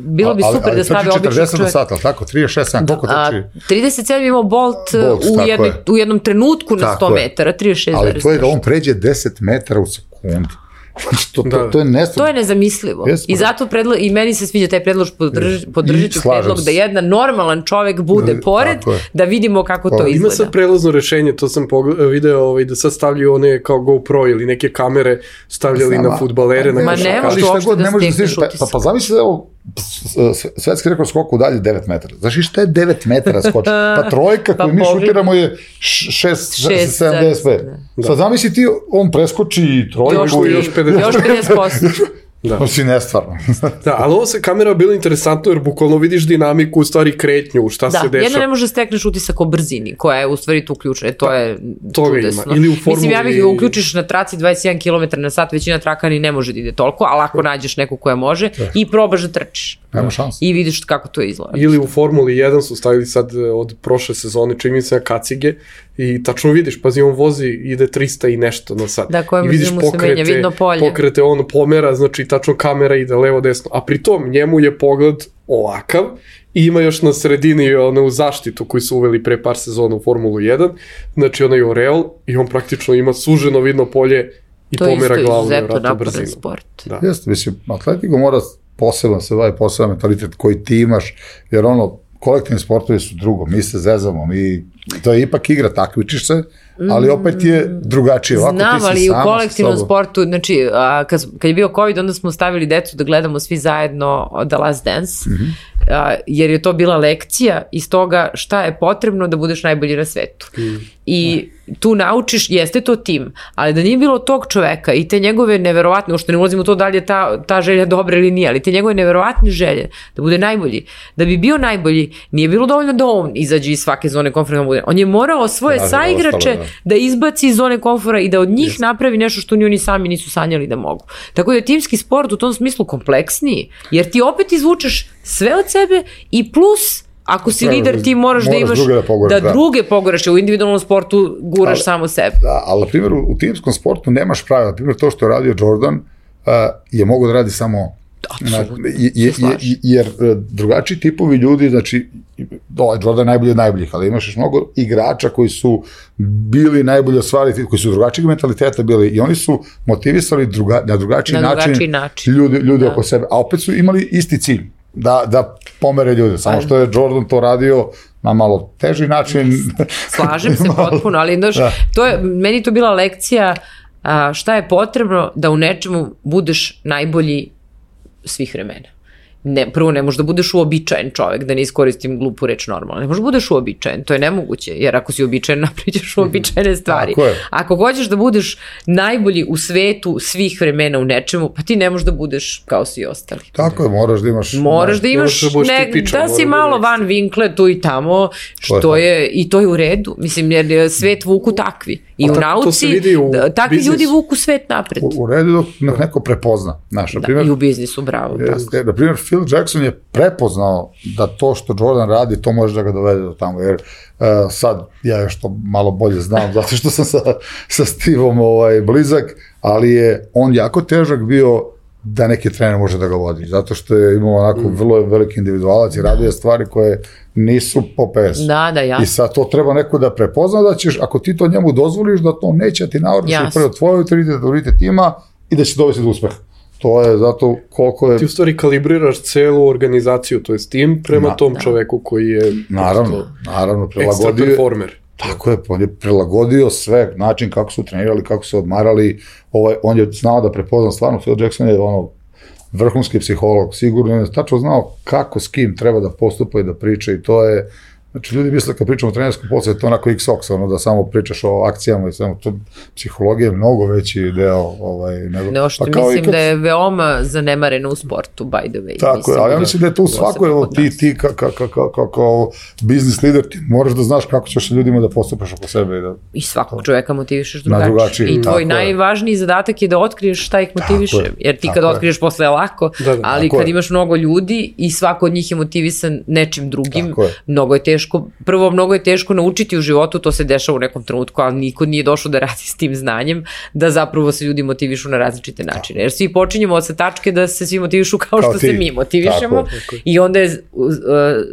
bilo bi Ali- super ali da stavi trči običnog četrdeset na čovjeka. sat, ali tako? trideset šest, sedam, koliko A, trči? trideset sedam imao Bolt, Bolt, u, tako jednoj, je. u jednom trenutku na Tako sto je. metara, trideset šest. Ali to je da on pređe deset metara u sekundi. Znači, to, to, Da. to je nestvarno. To je nezamislivo. Jesmo. I zato predlo, i meni se sviđa taj predlog, podrž, podržit ću slažem predlog se. da jedan normalan čovek bude Da, pored, tako je. da vidimo kako to Ima Ima izgleda. sad prelazno rešenje, to sam pogled, video ovaj, da sad stavljaju one kao GoPro ili neke kamere stavljali Znam, na fudbalere, na Ma košarkaše. ne Ali možeš šta uopšte god, da ne možeš stekneš stići, pa, pa, utisak. pa zamisli da je ovo s- s- svetski rekord skoku dalje devet metara. Znaš i šta je devet metara skoči? Pa trojka Pa koju mi pogledaj. šutiramo je šest Šest, sedamdeset pet. da. Sad zamisli ti, on preskoči trojku Još, i ti- još pedeset. još pedeset posto. Da. To si nestvarno. Da, ali ovo se kamera bila interesantno jer bukvalno vidiš dinamiku, u stvari kretnju, šta da, se dešava. Da, jedno ne može stekneš utisak o brzini, koja je u stvari tu ključna, to da, je čudesno. Ili u formuli... Mislim, ja bih ga uključiš na traci dvadeset jedan kilometar na sat, većina traka ni ne može da ide toliko, ali ako nađeš neku koja može da. I probaš da trčiš. Nema šanse. I vidiš kako to izgleda. Ili u Formuli jedan su stavili sad od prošle sezone, čini mi se na kacige, i tačno vidiš, pazi, on vozi, ide trista i nešto na sat. Da, koja brzina mu se menja, vidno polje. Pokrete, on pomera, znači tačno kamera ide levo, desno, a pritom njemu je pogled ovakav i ima još na sredini onu zaštitu koju su uveli pre par sezona u Formulu jedan, znači onaj oreol i on praktično ima suženo vidno polje i to pomera glavu na vratu brzinu. Sport. Da. Jeste, mislim, atletiku mora posebno se bavi, poseban mentalitet koji ti imaš, jer ono, kolektivni sportovi su drugo, mi se zezamo, mi, to je ipak igra, takmičiš se, ali opet je drugačije. Ovako, znam, ti si ali sama u kolektivnom sportu, znači, a, kad, kad je bio COVID, onda smo stavili decu da gledamo svi zajedno The Last Dance, mm-hmm. a, jer je to bila lekcija iz toga šta je potrebno da budeš najbolji na svetu. Mm. I tu naučiš, jeste to tim, ali da nije bilo tog čoveka i te njegove neverovatne, uopšte ne ulazim u to da li je ta, ta želja dobra ili nije, ali te njegove neverovatne želje da bude najbolji, da bi bio najbolji, nije bilo dovoljno da on izađe iz svake zone komfora, bude. On je morao svoje da, saigrače ostalo, da. da izbaci iz zone komfora i da od njih yes. napravi nešto što ni oni sami nisu sanjali da mogu. Tako da je timski sport u tom smislu kompleksniji, jer ti opet izvučeš sve od sebe i plus ako si lider, ti moraš, moraš da imaš druge da, poguraš, da, da druge poguraš, u individualnom sportu guraš ali, samo sebe. Da, ali na primjer u, u timskom sportu nemaš pravila. Na primjer to što je radio Jordan uh, je mogo da radi samo na, je, je, je, jer drugačiji tipovi ljudi, znači ovaj Jordan je najbolji od najboljih, ali imaš još mnogo igrača koji su bili najbolji osvariti, koji su drugačijeg mentaliteta bili i oni su motivisali druga, na drugačiji, na način, drugačiji način ljudi, ljudi oko sebe, a opet su imali isti cilj. Da, da pomere ljude, samo što je Jordan to radio na malo teži način. Slažem se potpuno, ali znaš, da. To je, meni to bila lekcija a, šta je potrebno da u nečemu budeš najbolji svih vremena. Ne, prvo, ne možeš da budeš uobičajen čovek, da ne iskoristim glupu reč normalno. Ne možeš da budeš uobičajen, to je nemoguće, jer ako si uobičajen, napriđeš uobičajene stvari. Ako hoćeš da budeš najbolji u svetu svih vremena u nečemu, pa ti ne možeš da budeš kao svi ostali. Tako je, moraš da imaš... Moraš da imaš, da, ne, tipičan, da si malo da van vinkle tu i tamo, što je, je, i to je u redu. Mislim, jer svet vuku takvi. I a u nauci, u takvi biznis. Ljudi vuku svet napred. U, u redu dok neko prepozna. Znaš, da, naprimjer, i u biznisu, bravo. Je, na primjer, Phil Jackson je prepoznao da to što Jordan radi, to može da ga dovede do tamo, jer uh, sad ja još to malo bolje znam, zato što sam sa, sa Steveom ovaj, blizak, ali je on jako težak bio da neki trener može da ga vodi, zato što je imao onako mm. vrlo veliki individualac i radio stvari koje nisu po P S. Da, da, jasno. I sad to treba neko da prepozna da ćeš, ako ti to njemu dozvoliš, da to neće ti navrši prvo tvoj autoritet, autoritet tima i da će dovesti do uspeha. To je zato koliko je... Ti u stvari kalibriraš celu organizaciju, to je tim prema Na, tom da. čoveku koji je... Naravno, naravno, prilagodio... Ekstra performer. Tako je, on je prilagodio sve, način kako su trenirali, kako su odmarali, ovaj, on je znao da prepozna stvarno, Phil Jackson je ono, vrhunski psiholog, sigurno je tačno znao kako s kim treba da postupa i da priča i to je... Znači, ljudi misle kad pričamo o trenerskom poslu, to je onako X-Ox, ono da samo pričaš o akcijama i samo, to psihologija je mnogo veći deo, ovaj, nego... No, što pa mislim kad... da je veoma zanemareno u sportu, by the way. Tako je, ali ja mislim da je to u svakoj, evo, ti, ti kao ka, ka, ka, ka, ka, biznis lider, ti moraš da znaš kako ćeš ljudima da postupaš oko sebe. I, da, I svakog čoveka motivišeš drugačije. drugačije. I tvoj najvažniji je. zadatak je da otkriješ šta ih motiviše, jer ti kad otkriješ posle je lako, da, da, ali kad je. imaš mnogo ljudi i svako od njih je motivisan nečim drugim, mnogo je teško. Prvo, mnogo je teško naučiti u životu, to se dešava u nekom trenutku, ali niko nije došao da radi s tim znanjem, da zapravo se ljudi motivišu na različite načine. Jer svi počinjemo od sa tačke da se svi motivišu kao, kao što ti. se mi motivišemo tako, tako. I onda je uh,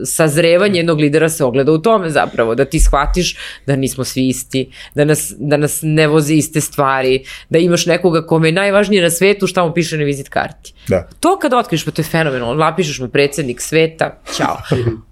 sazrevanje jednog lidera se ogleda u tome zapravo, da ti shvatiš da nismo svi isti, da nas, da nas ne voze iste stvari, da imaš nekoga kome je najvažnije na svetu šta mu piše na vizit karti. Da. To kad otkriš, pa to je fenomenalno, napišeš mu predsjednik sveta, ćao.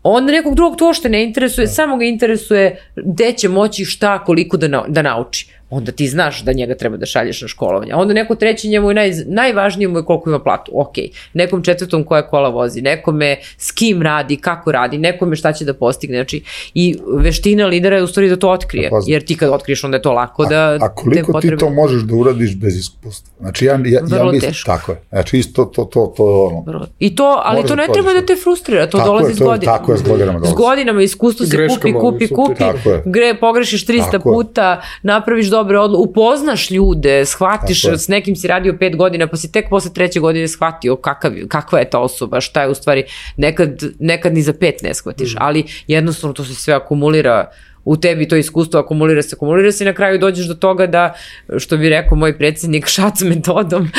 On nekog drugog to što ne interesuje, samo ga interesuje gde će moći šta, koliko da, na, da nauči. onda ti znaš da njega treba da šalješ na školovanje. A onda neko treći njemu je naj, najvažnije mu je koliko ima platu. Ok, nekom četvrtom koja kola vozi, nekome s kim radi, kako radi, nekome šta će da postigne. Znači, i veština lidera je u stvari da to otkrije. Jer ti kad otkriješ, onda je to lako da... A, a koliko potrebe... ti to možeš da uradiš bez iskustva? Znači, ja, ja, Vrlo ja mislim, teško. tako je. Znači, isto to, to, to, ono... Vrlo. I to, ali to ne treba da te frustrira, to tako dolazi je, s to, godinama. Tako je, s godinama dolazi. S godinama iskustvo se kupi, kupi, kupi, gre, pogrešiš trista puta, napraviš dobre odluke, upoznaš ljude, shvatiš, s nekim si radio pet godina, pa si tek posle treće godine shvatio kakav, kakva je ta osoba, šta je u stvari, nekad, nekad ni za pet ne shvatiš, mm. ali jednostavno to se sve akumulira u tebi, to iskustvo akumulira se, akumulira se i na kraju dođeš do toga da, što bi rekao moj predsjednik, šac metodom,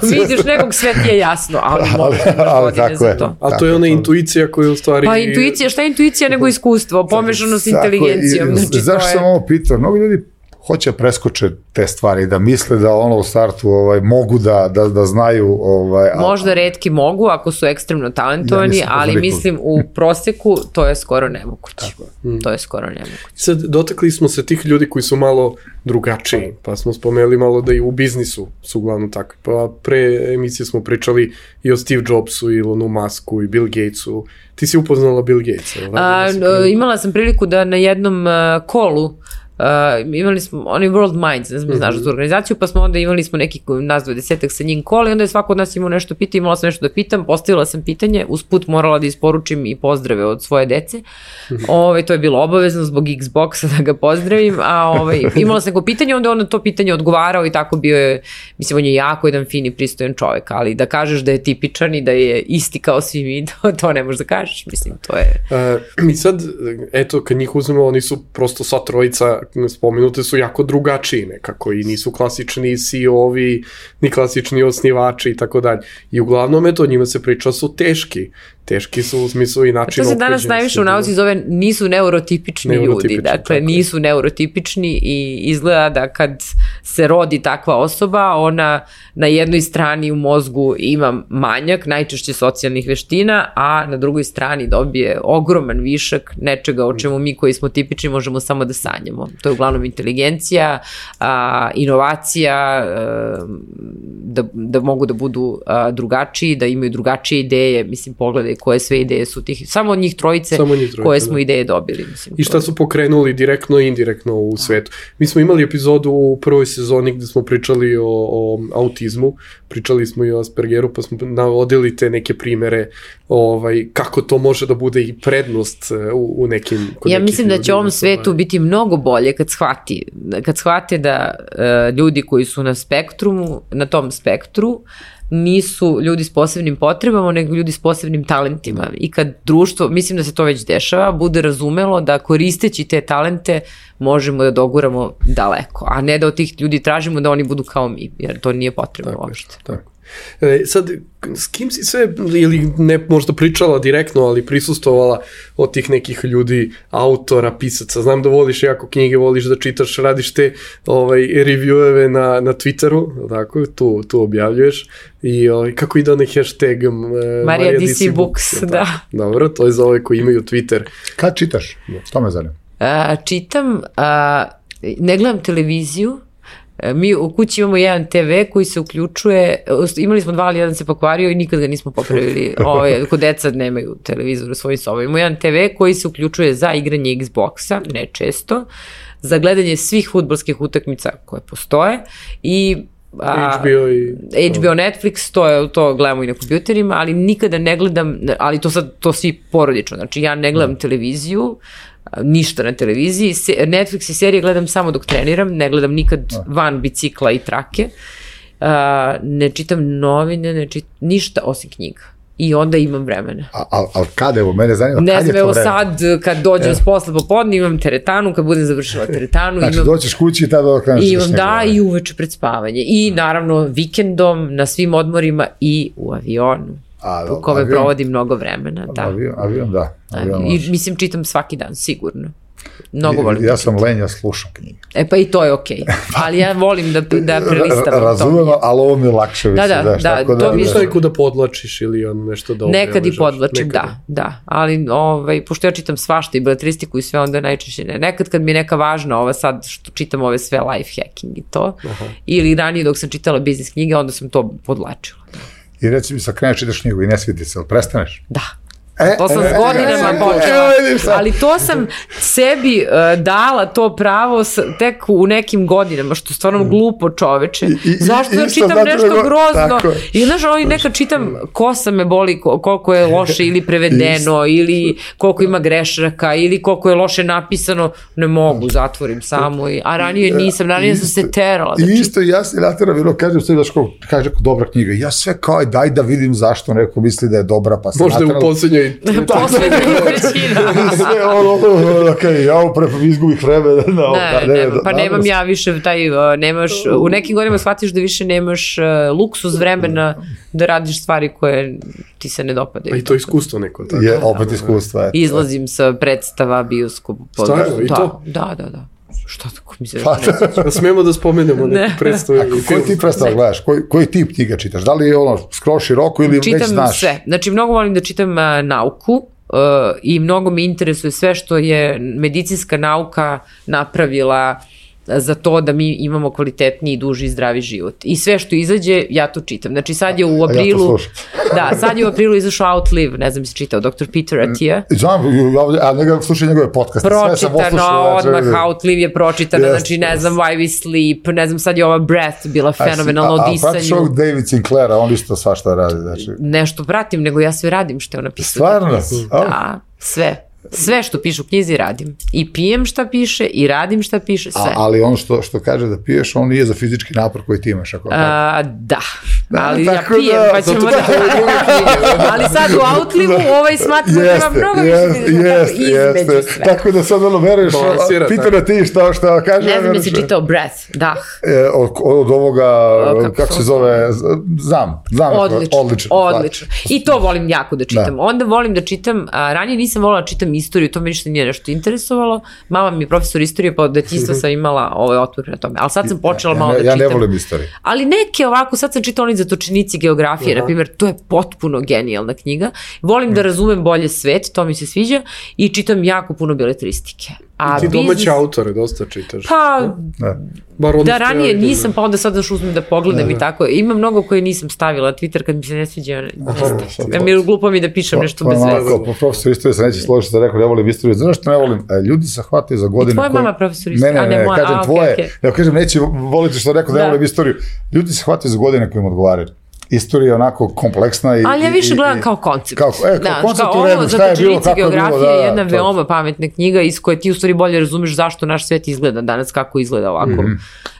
vidiš nekog, sve ti je jasno, ali možeš godine za to. A to je ona intuicija koja je u stvari... Pa intuicija, šta je intuicija nego iskustvo, pomešano s inteligencijom. Znači, zašto sam ovo pitao? Mnogo ljudi hoće preskoče te stvari, da misle da ono u startu ovaj, mogu da, da, da znaju... Ovaj, možda retki mogu ako su ekstremno talentovani, ja ali mislim u proseku to je skoro nemoguće. Mm. To je skoro nemoguće. Sad, dotakli smo se tih ljudi koji su malo drugačiji, pa smo spomenuli malo da i u biznisu su uglavnom takvi. Pa pre emisije smo pričali i o Steve Jobsu, i Elonu Musku, i Bill Gatesu. Ti si upoznala Bill Gatesa? A, imala sam priliku da na jednom uh, kolu Uh, imali smo, oni World Minds, ne znam, mm-hmm. znaš za tu organizaciju, pa smo onda imali smo neki nas dvadesetak sa njim kola i onda je svako od nas imao nešto pitanje, imala sam nešto da pitam, postavila sam pitanje, usput morala da isporučim i pozdrave od svoje dece, mm-hmm. Ove, to je bilo obavezno zbog Xboxa da ga pozdravim, a ove, imala sam neko pitanje, onda on to pitanje odgovarao i tako bio je, mislim, on je jako jedan fin i pristojan čovek, ali da kažeš da je tipičan i da je isti kao svi mi, to, to ne možeš da kažeš, mislim, to je... Uh, mi sad, eto, kad njih uzmemo, oni su prosto sva trojica spomenute su jako drugačiji nekako i nisu klasični C E O-ovi, ni klasični osnivači i tako dalje. I uglavnom je to, njima se priča su teški. Teški su u smislu i način ophođenja. To se danas najviše u nauci zove nisu neurotipični, neurotipični ljudi. Dakle, nisu neurotipični i izgleda da kad se rodi takva osoba, ona na jednoj strani u mozgu ima manjak, najčešće socijalnih veština, a na drugoj strani dobije ogroman višak nečega o čemu mi koji smo tipični možemo samo da sanjamo. To je uglavnom inteligencija, a, inovacija, a, da, da mogu da budu a, drugačiji, da imaju drugačije ideje, mislim, pogledaj koje sve ideje su tih, samo od njih trojice, samo njih trojice koje smo da. ideje dobili. Mislim, I šta su pokrenuli direktno i indirektno u svetu. Mi smo imali epizodu u prvoj sezoni gde smo pričali o, o autizmu, pričali smo i o Aspergeru, pa smo navodili te neke primere ovaj, kako to može da bude i prednost u, u nekim... Ja mislim da će ovom svetu biti mnogo bolje kad shvati, kad shvate da uh, ljudi koji su na spektrumu, na tom spektru, nisu ljudi s posebnim potrebama, nego ljudi s posebnim talentima. I kad društvo, mislim da se to već dešava, bude razumelo da koristeći te talente možemo da doguramo daleko, a ne da od tih ljudi tražimo da oni budu kao mi, jer to nije potrebno tako uopšte. Tako. E, sad, s kim si sve, ili ne možda pričala direktno, ali prisustovala od tih nekih ljudi, autora, pisaca? Znam da voliš jako knjige, voliš da čitaš, radiš te ovaj, revieweve na, na Twitteru, tako, tu, tu objavljuješ. I ovaj, kako ide onaj hashtag uh, Marija D C Books, da. da. Dobro, to je za ove koji imaju Twitter. Kad čitaš? To me zanima. A, čitam, a, ne gledam televiziju. Mi u kući imamo jedan te ve koji se uključuje, imali smo dva, ali jedan se pokvario i nikad ga nismo popravili. Ove, kod deca nemaju televizor u svojim sobama. Imamo jedan te ve koji se uključuje za igranje Xboxa, ne često, za gledanje svih fudbalskih utakmica koje postoje i A, H B O i... H B O, Netflix, to, je, to gledamo i na kompjuterima, ali nikada ne gledam, ali to sad, to svi porodično, znači ja ne gledam televiziju, ništa na televiziji, Netflix i serije gledam samo dok treniram, ne gledam nikad van bicikla i trake, uh, ne čitam novine, ne čitam ništa osim knjiga. I onda imam vremena. A, a, ali kada, evo, mene zanima, ne kad znam, je to evo vreme? sad, kad dođem e. s posla popodne, imam teretanu, kad budem završila teretanu. Znači, imam, doćeš kući i tada okreneš. Imam, da, i uveče pred spavanje. I naravno, vikendom, na svim odmorima i u avionu. A, u kome avion, provodim mnogo vremena. Da. Avion, avion da. Avion I mislim, čitam svaki dan, sigurno. Mnogo volim ja da sam čitam. lenj, ja slušam knjige. E pa i to je okej. Okay. Ali ja volim da, da prelistam. Razumem, ali ovo mi je lakše. Da, da, daš, da, tako to mi je- Šta je da podlačiš ili on nešto da Nekad i obeležaš? podlačim, Nekad. da, da, ali ovaj, pošto ja čitam svašta i beletristiku i sve, onda najčešće ne. Nekad kad mi je neka važna ova sad što čitam ove sve life hacking i to, Aha. ili ranije dok sam čitala biznis knjige, onda sam to podlačila. I reci mi, sad kreneš, čitaš knjigu i ne svidi se, ali prestaneš? Da. E, To sam e, s godinama e, e, počela, e, vidiš sad. ali to sam sebi uh, dala to pravo s, tek u nekim godinama, što je stvarno glupo čoveče. I- i- Zašto ja isto čitam zato nešto nego- grozno? tako je. I znaš, ono, i nekad čitam kosa me boli, ko- koliko je loše ili prevedeno, ili koliko ima grešaka, ili koliko je loše napisano, ne mogu, zatvorim samo. I, a ranije nisam, ranije sam se terala. I Da čitam. isto ja se natera bilo, kažem sve, daš kao, kaže neko dobra knjiga, ja sve kao, aj, daj da vidim zašto neko misli da je dobra, pa se Možda je u naterala- poslednjoj... Poslednja trećina. I sve ono, ono, okej, ja pre izgubih vreme. No, Ne, nema, pa nemam ja više taj, uh, nemaš, u nekim godinama shvatiš da više nemaš uh, luksuz vremena da radiš stvari koje ti se ne dopadaju. A i to iskustvo neko. Tako. Je opet iskustva. eto. Izlazim sa predstava, bioskop. Stvarno, i da, to? Da, da, da. Šta tako mi se Pa, ne Da smemo da spomenemo Ne. neku predstavu. A koji ti predstav gledaš? Koji, koji tip knjiga čitaš? Da li je ono skroz široko ili već Čitam znaš? sve. Znači, mnogo volim da čitam uh, nauku uh, i mnogo me interesuje sve što je medicinska nauka napravila za to da mi imamo kvalitetniji, i duži i zdravi život. I sve što izađe, ja to čitam. Znači sad je u aprilu... slušam. da, sad je u aprilu izašao Outlive, ne znam si čitao, doktor Peter Attia. Znam, a njega slušaj njegove podcaste. sve sam Pročitano, poslušao, znači, odmah Outlive je pročitana, Jeste, znači ne jeste. znam Why We Sleep, ne znam sad je ova Breath bila A si- fenomenalna a- o a pratiš disanju. ovog David Sinclaira, on isto svašta radi, znači. Nešto pratim, nego ja sve radim što je on napisao. Stvarno? A? Da, sve. Sve što piše u knjizi radim. I pijem šta piše, i radim šta piše, sve. A, ali on što, što kaže da piješ, on nije za fizički napor koji ti imaš. Ako tako. A, da, Da, ali ja tako pijem, da, pa ćemo zato da... što je druga knjiga. ali sad u Outlivu ovaj smatra da treba mnogo više jeste, da jeste, između jeste. sve. Tako da sad ono veruješ, Balansira, pita tako. na ti šta, šta kaže. Ne ja znam veruješ. jesi čitao Breath, da. E, od, od ovoga, O, kako kako, se se zove, z- znam, znam. Odlično, odlično. odlično. I to volim jako da čitam. Da. Onda volim da čitam, a, ranije nisam volila da čitam istoriju, to me ništa nije nešto interesovalo. Mama mi je profesor istorije, pa od detinjstva sam imala ovaj otvor na tome. Ali sad sam počela Ja- malo ja, da ja čitam. ne volim istoriju. Ali neke ovako, sad sam čitala oni zatočenici geografije, na primjer, to je potpuno genijalna knjiga. Volim da razumem bolje svet, to mi se sviđa, i čitam jako puno beletristike. A Ti domaće biznis- autore dosta čitaš. Pa, Da. Bar ono da što ja ranije vidim, nisam, pa onda sad daš uzmem da pogledam i tako. Ima mnogo koje nisam stavila na Twitter kad mi se ne sviđa. sad Ja mi je glupo mi da pišem nešto Pa, bez pa, veze. onako, po profesor istorije se neće složiti da rekao, ne volim istoriju. Znaš što ne volim? E, Ljudi se hvataju za godine. tvoja koje- mama profesor Ne, istorije? ne, A, ne, ne, moja, kažem a, okej, tvoje. okej. Ja kažem, neće voliti što rekao da ne Da. volim istoriju. Ljudi se hvataju za godine koje im odgovaraju. Istorija je onako kompleksna i... Ali ja i- više i- gledam i- kao koncept. Kao, e, kao koncept u ovo redu, šta je bilo, Zatočenici kako je bilo, geografije da, je da, jedna to je. veoma pametna knjiga iz koje ti u stvari bolje razumeš zašto naš svet izgleda danas, kako izgleda ovako, Mhm.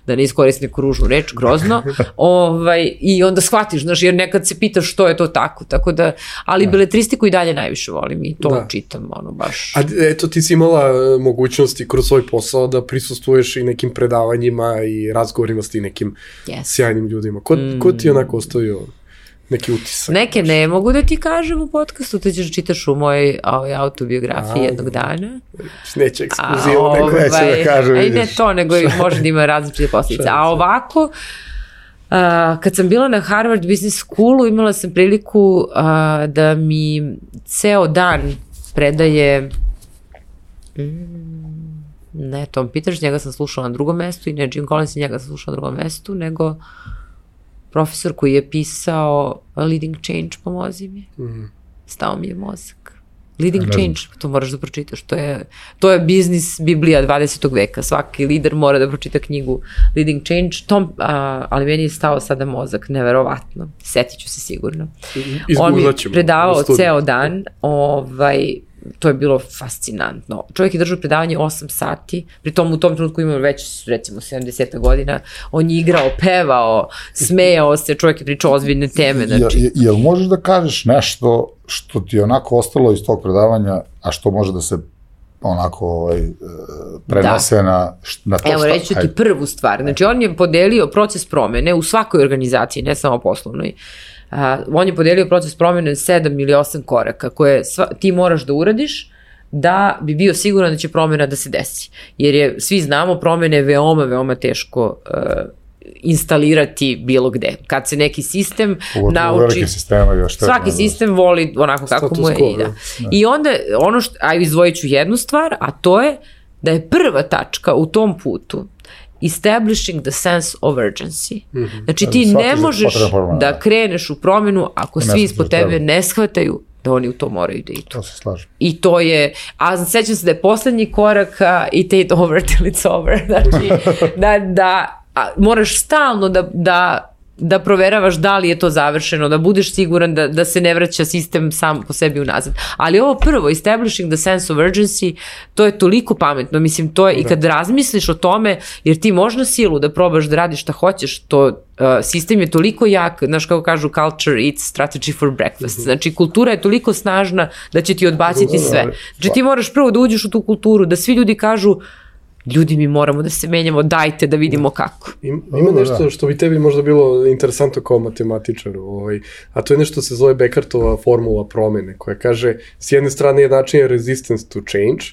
da ne iskoristim neku ružnu reč, grozno. ovaj, I onda shvatiš, znaš, jer nekad se pitaš što je to tako, tako da, ali beletristiku i dalje najviše volim i to Da. čitam, ono, baš. A eto, ti si imala e, mogućnosti kroz svoj posao da prisustvuješ i nekim predavanjima i razgovorima s ti nekim Yes. sjajnim ljudima. Ko, ko ti je onako ostavio neki utisak? Neke ne mogu da ti kažem u podcastu, to ćeš čitaš u mojoj ovaj, autobiografiji A, jednog dana. Neće A, ekskluzivu, nego neće da ovaj, kaže, a i ne vidiš. to, nego i može da ima različite posljedice. A ovako, a, kad sam bila na Harvard Business Schoolu, imala sam priliku a, da mi ceo dan predaje mm, ne Tom Peters, njega sam slušala na drugom mestu, i ne Jim Collins, njega sam slušala na drugom mestu, nego profesor koji je pisao Leading Change, pomozi mi. Mhm. Stao mi je mozak. Leading Ne znam. Change, to moraš da pročitaš, to je, to je biznis biblija dvadesetog veka, svaki lider mora da pročita knjigu Leading Change, Tom, a, ali meni je stao sada mozak, neverovatno, setit ću se sigurno. On mi Izgooglat je ćemo predavao u studiju. ceo dan, ovaj, to je bilo fascinantno. Čovjek je držao predavanje osam sati, pri tom u tom trenutku imao već recimo sedamdeset godina, on je igrao, pevao, smejao se, čovjek je pričao ozbiljne teme, znači. Jel, jel možeš da kažeš nešto što ti je onako ostalo iz tog predavanja, a što može da se onako ovaj, e, prenese na, š- na to Evo, šta- reći ću ti ajde. prvu stvar. Znači, on je podelio proces promene u svakoj organizaciji, ne samo poslovnoj. Uh, on je podelio proces promene sedam ili osam koraka koje sva, ti moraš da uradiš da bi bio siguran da će promjena da se desi. Jer je, svi znamo, promjene je veoma, veoma teško uh, instalirati bilo gde. Kad se neki sistem Uvodno, nauči... Još svaki sistem voli onako kako mu je. I, da. I onda, ono što, aj izdvojit ću jednu stvar, a to je da je prva tačka u tom putu establishing the sense of urgency. Mm-hmm. Znači ti Svaki ne možeš da kreneš u promjenu ako svi ispod tebe ne shvataju da oni u to moraju da idu. To se slažem. I to je, a sećam se da je poslednji korak uh, it ain't over till it's over. Znači da, da a, moraš stalno da, da da proveravaš da li je to završeno, da budeš siguran da, da se ne vraća sistem sam po sebi unazad. Ali ovo prvo, establishing the sense of urgency, to je toliko pametno. Mislim, to je, da. I kad razmisliš o tome, jer ti možeš silu da probaš da radiš šta hoćeš, to uh, sistem je toliko jak, znaš kako kažu, culture eats strategy for breakfast. Znači, kultura je toliko snažna da će ti odbaciti sve. Znači, ti moraš prvo da uđeš u tu kulturu, da svi ljudi kažu ljudi, mi moramo da se menjamo, dajte da vidimo kako. Ima, ima nešto što bi tebi možda bilo interesantno kao matematičaru, ovaj, a to je nešto se zove Beckertova formula promene, koja kaže, s jedne strane je način resistance to change,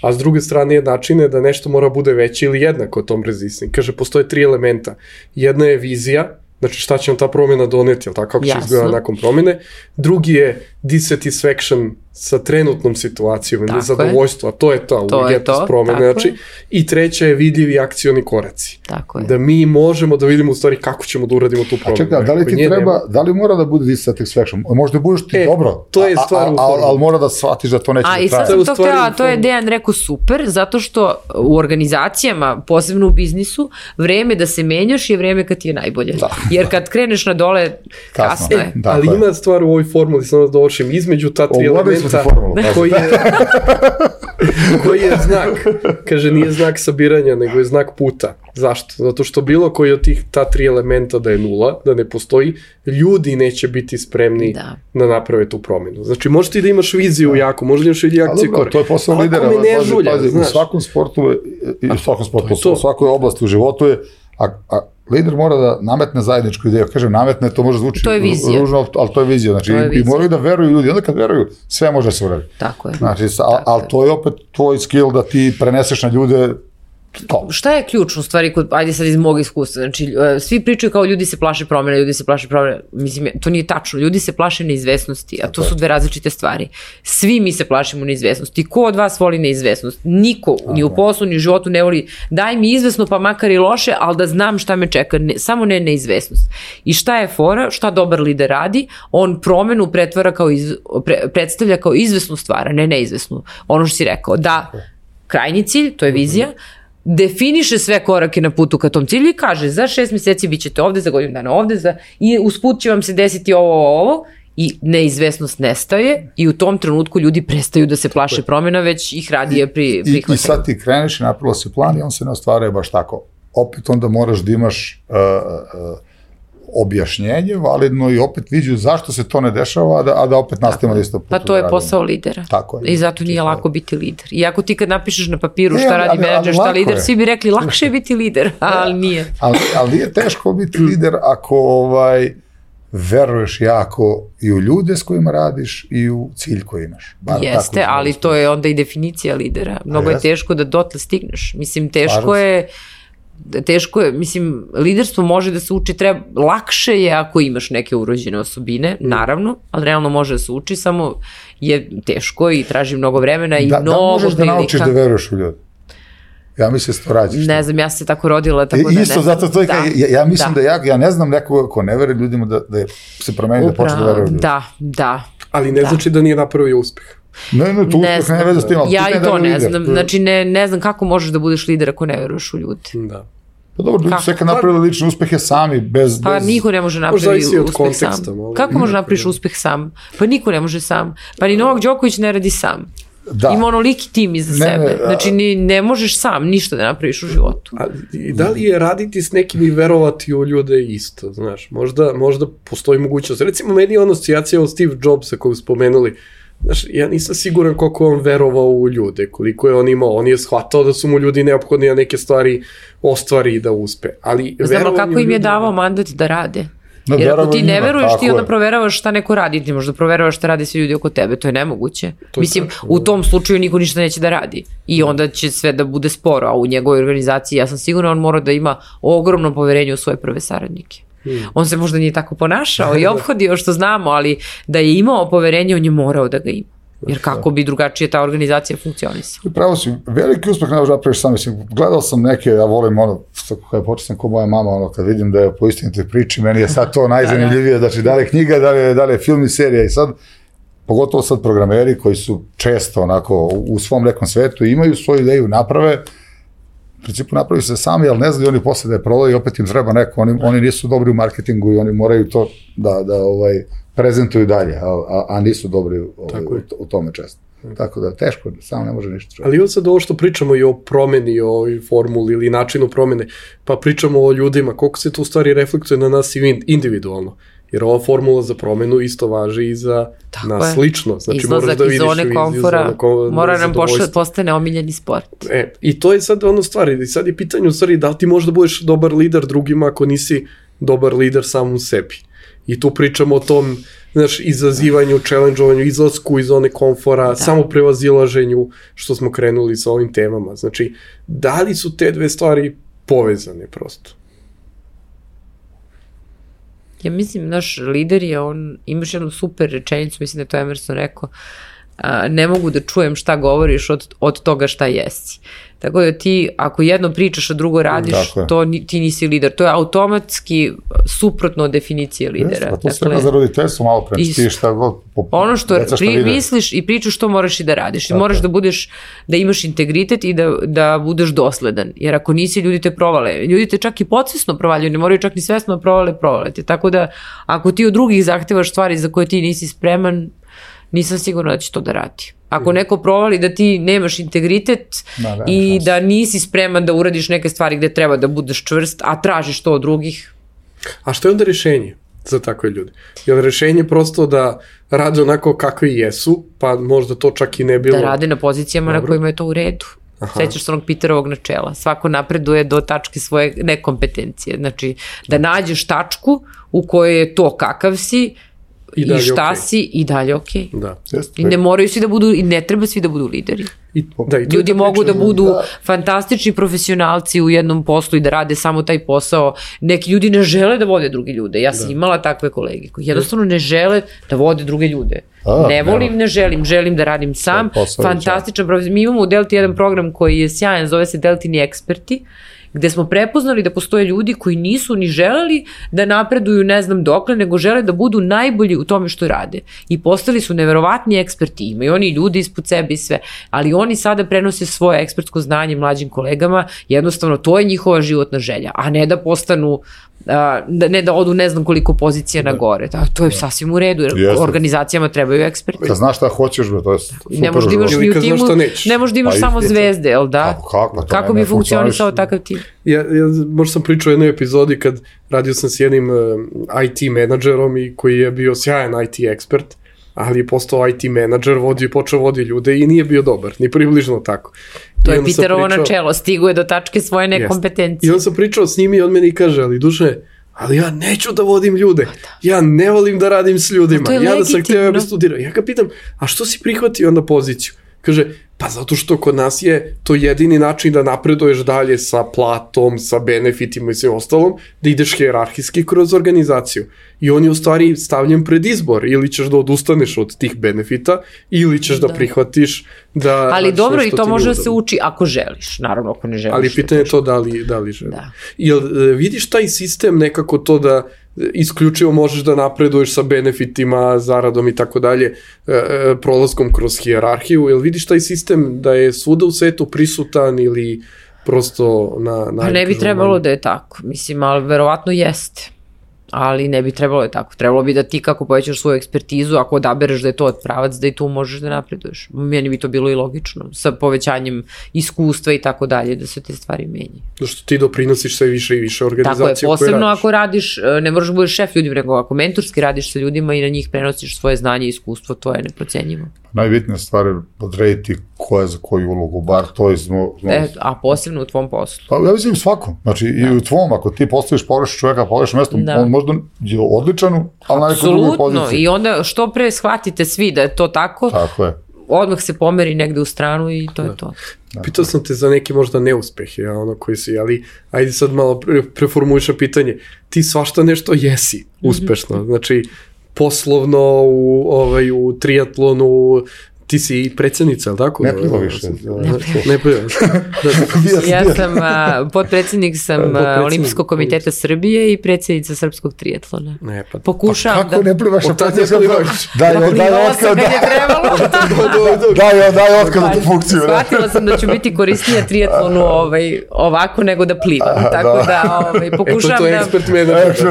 a s druge strane je način da nešto mora bude veće ili jednako tom resistance. Kaže, postoje tri elementa. Jedna je vizija, znači šta će nam ta promjena doneti, jel tako, kako će izgleda nakon promjene. Drugi je dissatisfaction sa trenutnom situacijom, nezadovoljstvo, a to je ta urgentnost promjene. Znači, i treća je vidljivi akcioni koraci. Tako je. Da mi možemo da vidimo u stvari kako ćemo da uradimo tu promjenu. A čekaj, da li ti treba, nema... da li mora da bude dissatisfaction? Možda budeš ti e, dobro, to je stvar a, a, a, ali mora da shvatiš da to neće a, da traje. A i sad sam to htjela, to je Dejan rekao super, zato što u organizacijama, posebno u biznisu, vreme da se menjaš je vreme kad ti je najbolje. Da. Jer kad kreneš na dole, kasno, kasno je. E, ali ima stvar u ovoj formuli, samo da dovršim, između ta tri elementa koji je, koji je znak, kaže nije znak sabiranja, nego je znak puta. Zašto? Zato što bilo koji od tih ta tri elementa da je nula, da ne postoji, ljudi neće biti spremni da, da naprave tu promjenu. Znači možeš ti da imaš viziju da. jako, možeš da imaš vidi akcije kore. To je posao lidera, pazi, pazi, u svakom sportu, i u svakom sportu, u svakoj oblasti u životu je, a, a lider mora da nametne zajedničku ideju. Kažem, nametne, to može zvuči ružno, ali to je vizija. Znači, je i, i moraju da veruju ljudi. Onda kad veruju, sve može se uradi. Tako je. Znači, ali al to je opet tvoj skill da ti preneseš na ljude to. Šta je ključno u stvari, kod, ajde sad iz mog iskustva, znači, svi pričaju kao ljudi se plaše promjena, ljudi se plaše promjena, mislim, to nije tačno, ljudi se plaše neizvesnosti, a to su dve različite stvari. Svi mi se plašimo neizvesnosti. Ko od vas voli neizvesnost? Niko, ni u poslu, ni u životu ne voli, daj mi izvesno pa makar i loše, ali da znam šta me čeka, ne, samo ne neizvesnost. I šta je fora, šta dobar lider radi? On promjenu pretvara kao iz, pre, predstavlja kao izvesnu stvar, a ne neizvesnu. Ono što si rekao, da krajnji cilj, to je vizija, definiše sve korake na putu ka tom cilju i kaže za šest mjeseci bit ćete ovde, za godinu dana ovde, za, i usput će vam se desiti ovo, ovo, ovo, i neizvesnost nestaje i u tom trenutku ljudi prestaju da se plaše promjena, već ih radije pri, prihvataju. I, I sad ti kreneš i napravila si plan i on se ne ostvaruje baš tako. Opet onda moraš da imaš uh, uh, objašnjenje validno i opet viđu zašto se to ne dešava, a da, a da opet nastavimo da isto putu. Pa to je posao lidera. Tako je. I zato nije lako biti lider. Iako ti kad napišeš na papiru šta radi menadžer, šta lider, svi bi rekli lakše je biti lider, ali nije. Ali, ali nije teško biti lider ako ovaj, veruješ jako i u ljude s kojima radiš i u cilj koji imaš. Bar jeste, ali to je onda i definicija lidera. Mnogo je teško da dotle stigneš. Mislim, teško je teško je, mislim, liderstvo može da se uči, treba, lakše je ako imaš neke urođene osobine, naravno, ali realno može da se uči, samo je teško i traži mnogo vremena i da, mnogo prilika. Da možeš da naučiš da veruješ u ljudi? Ja mislim da se to rađiš. Ne znam, ja sam se tako rodila, tako da ne isto, zato to je, da, ja, ja mislim da, da ja, ja ne znam nekoga ko ne veruje ljudima da, da se promeni, da počne da veruje u ljudi. Da, da. Ali ne da. znači da nije napravio uspeh. Ne, ne, tu ne, ne veze s tim, ja i to ne znam, znači ne, ne znam kako možeš da budeš lider ako ne veruješ u ljudi. Da. Pa dobro, ljudi sve kad napravili lične uspehe sami, bez... Pa bez... niko ne može napraviti uspeh sam. Malo. Kako može napraviš uspeh sam? Pa niko ne može sam. Pa ni Novak Đoković ne radi sam. Da. Ima onoliki tim iza ne, sebe. Ne, znači, ni, ne možeš sam ništa da napraviš u životu. A, da li je raditi s nekim i verovati u ljude isto, znaš? Možda, možda postoji mogućnost. Recimo, meni je ono asocijacija od Steve Jobsa koju spomenuli. Znaš, ja nisam siguran koliko on verovao u ljude, koliko je on imao. On je shvatao da su mu ljudi neophodni da neke stvari ostvari i da uspe. Ali znam, ali kako im je davao mandat da rade? No, Jer ako ti ne njima, veruješ, ti onda je. proveravaš šta neko radi, ti možda proveravaš šta rade svi ljudi oko tebe, to je nemoguće. To je Mislim, tako, u tom slučaju niko ništa neće da radi i onda će sve da bude sporo, a u njegovoj organizaciji ja sam sigurna on mora da ima ogromno poverenje u svoje prve saradnike. Hmm. On se možda nije tako ponašao i ophodio što znamo, ali da je imao poverenje, on je morao da ga ima. Jer kako bi drugačije ta organizacija funkcionisala. Pravo si, veliki uspeh ne može napraviš sam, mislim, gledao sam neke, ja volim ono, kada početam ko moja mama, ono, kad vidim da je po istinitoj priči, meni je sad to najzanimljivije, znači da li je knjiga, da li je, da li je film i serija i sad, pogotovo sad programeri koji su često onako u svom nekom svetu, imaju svoju ideju, naprave, u principu napravi se sami, ali ne znaju oni posle da je prodaju i opet im treba neko, oni, oni nisu dobri u marketingu i oni moraju to da, da ovaj, prezentuju dalje, a, a, a nisu dobri ovaj, u, u tome često. Tako da teško, samo ne može ništa. Ali ovo sad ovo što pričamo i o promeni, o ovoj formuli ili načinu promene, pa pričamo o ljudima, koliko se to u stvari reflektuje na nas individualno. Jer ova formula za promenu isto važi i za tako nas je. lično. Znači, izlazak da iz zone komfora mora nam pošle, postane omiljeni sport. E, i to je sad ono stvari, i sad je pitanje u stvari da li ti možda budeš dobar lider drugima ako nisi dobar lider samom sebi. I tu pričamo o tom, znaš, izazivanju, challengeovanju, izlasku iz zone komfora, da. Samo prevazilaženju što smo krenuli sa ovim temama. Znači, da li su te dve stvari povezane prosto? Ja mislim, naš lider je, on, imaš jednu super rečenicu, mislim da je to Emerson rekao, a, ne mogu da čujem šta govoriš od, od toga šta jesi. Tako da ti, ako jedno pričaš, a drugo radiš, to ti nisi lider. To je automatski suprotno od definicije lidera. Yes, to sve dakle, za roditeljstvo malo pre. Ti šta god, po, ono što pri, misliš i pričaš, to moraš i da radiš. I moraš da budeš, da imaš integritet i da, da budeš dosledan. Jer ako nisi, ljudi te provale. Ljudi te čak i podsvesno provaljuju, ne moraju čak ni svesno provale, provale te. Tako da, ako ti od drugih zahtevaš stvari za koje ti nisi spreman, nisam sigurna da će to da radi. Ako neko provali da ti nemaš integritet da, da, i da nisi spreman da uradiš neke stvari gde treba da budeš čvrst, a tražiš to od drugih. A što je onda rešenje za takve ljude? Je li rešenje prosto da rade onako kakvi jesu, pa možda to čak i ne bilo... Da rade na pozicijama Dobro. Na kojima je to u redu. Aha. Sećaš se onog Peterovog načela. Svako napreduje do tačke svoje nekompetencije. Znači, da nađeš tačku u kojoj je to kakav si, I, i šta okay. si i dalje okej. Okay. Da. I ne moraju svi da budu, i ne treba svi da budu lideri. I, da, i ljudi mogu da budu da. fantastični profesionalci u jednom poslu i da rade samo taj posao. Neki ljudi ne žele da vode drugi ljude. Ja sam da. imala takve kolege koji jednostavno ne žele da vode druge ljude. A, ne volim, ne. ne želim, želim da radim sam. Fantastičan profesional. Mi imamo u Delti jedan program koji je sjajan, zove se Deltini eksperti, gde smo prepoznali da postoje ljudi koji nisu ni želeli da napreduju ne znam dokle, nego žele da budu najbolji u tome što rade. I postali su neverovatni eksperti, imaju oni ljudi ispod sebe i sve, ali oni sada prenose svoje ekspertsko znanje mlađim kolegama, jednostavno to je njihova životna želja, a ne da postanu, a, ne da odu ne znam koliko pozicija da. na gore. Da, to je da. sasvim u redu, jer Jeste. organizacijama trebaju eksperti. Da znaš šta hoćeš, to je super. Ne možeš da imaš ni u timu, ne možeš da imaš pa samo zvezde, jel da? Kako, kako, kako bi funkcionisao takav tim? Ja, ja možda sam pričao o jednoj epizodi kad radio sam s jednim uh, I T menadžerom i koji je bio sjajan I T ekspert, ali je postao I T menadžer, vodio i počeo vodi ljude i nije bio dobar, ni približno tako. To I je Peterovo pričao, načelo, stiguje do tačke svoje nekompetencije. I on sam pričao s njim i on meni kaže, ali duše, ali ja neću da vodim ljude, ja ne volim da radim s ljudima, ja legitimno. Da sam htio da studiram. Ja ga pitam, a što si prihvatio onda poziciju? Kaže, pa zato što kod nas je to jedini način da napreduješ dalje sa platom, sa benefitima i sve ostalom, da ideš hijerarhijski kroz organizaciju. I on je u stvari stavljen pred izbor, ili ćeš da odustaneš od tih benefita, ili ćeš da, da prihvatiš da... Ali dobro, i to može da se uči ako želiš, naravno ako ne želiš. Ali pitanje je to da li, da li želiš. Da. Jel vidiš taj sistem nekako to da isključivo možeš da napreduješ sa benefitima, zaradom i tako dalje, prolaskom kroz hijerarhiju, jel vidiš taj sistem da je svuda u svetu prisutan ili prosto na... na pa ne bi trebalo da je tako, mislim, ali verovatno jeste. Ali ne bi trebalo je tako. Trebalo bi da ti kako povećaš svoju ekspertizu, ako odabereš da je to pravac, da i tu možeš da napreduješ. Meni bi to bilo i logično, sa povećanjem iskustva i tako dalje, da se te stvari menjaju. Zašto ti doprinosiš sve više i više organizacije koje radiš. Tako je, posebno ako radiš, ne moraš da budeš šef ljudima, nego ako mentorski radiš sa ljudima i na njih prenosiš svoje znanje i iskustvo, to je neprocenjivo. Najbitnija stvar je odrediti ko je za koju ulogu, bar to je zmo... E, a posebno u tvom poslu. Pa ja mislim svakom, znači da. I u tvom, ako ti postaviš pogrešan čovjeka, pogrešan mesto, da. On možda je odličan, ali na nekoj drugoj poziciji. Apsolutno, i onda što pre shvatite svi da je to tako, tako je. Odmah se pomeri negde u stranu i to da. Je to. Da. Pitao sam te za neke možda neuspehe, ja, ono koji si, ali ajde sad malo pre, preformuliša pitanje. Ti svašta nešto jesi uspešno, mm-hmm. znači poslovno, u, ovaj, u triatlonu, ti si predsjednica, ali tako? Ne pliva više. Ne pliva. Ja sam, a, potpredsjednik sam potpredsjednik. Olimpijskog komiteta Srbije i predsjednica srpskog triatlona. Ne, pa, Pokušavam pa kako da... ne plivaš? Od tad ne plivaš. Daj, daj, daj otkad. Kad je trebalo. Daj, daj otkad tu funkciju. Shvatila sam da ću biti korisnija triatlonu ovaj, ovako nego da plivam. Tako da ovaj, pokušavam da... E, to je ekspert menadžer.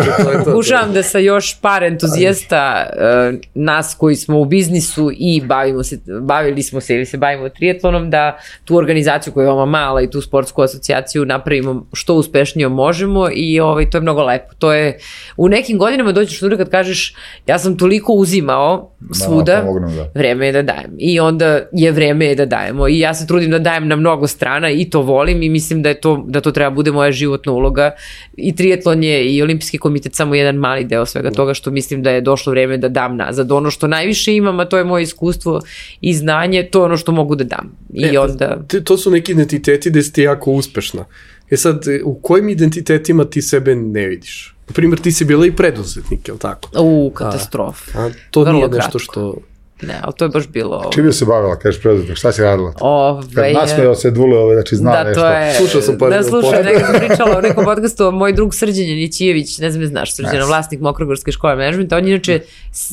Pokušavam da sa još par entuzijasta uh, nas koji smo u biznisu i bavimo se bavili smo se ili se bavimo triatlonom, da tu organizaciju koja je veoma mala i tu sportsku asocijaciju napravimo što uspešnije možemo i ovaj, to je mnogo lepo. To je, u nekim godinama dođeš tu kad kažeš ja sam toliko uzimao svuda, da, pomognem, da. Vreme je da dajem. I onda je vreme je da dajemo. I ja se trudim da dajem na mnogo strana i to volim i mislim da, je to, da to treba bude moja životna uloga. I triatlon je i Olimpijski komitet samo jedan mali deo svega toga što mislim da je došlo vreme da dam nazad. Ono što najviše imam, a to je moje iskustvo i znanje, to je ono što mogu da dam. I e, onda... To su neki identiteti gde si ti jako uspešna. E sad, u kojim identitetima ti sebe ne vidiš? Na primjer, ti si bila i preduzetnik, je li tako? U, katastrofa. A, a to Vrlo nije nešto kratko. što... Ne, ali to je baš bilo... Čim je se bavila, kažeš preduzetnik, šta si radila? Ove, Kad nasmeo se Dule, ove, znači zna da, nešto. To je, Slušao sam par... Da, slušao, nekako sam pričala u nekom podcastu, moj drug Srđan Janićijević, ne znam je znaš, Srđan, yes. Vlasnik Mokrogorske škole menadžmenta, on je inače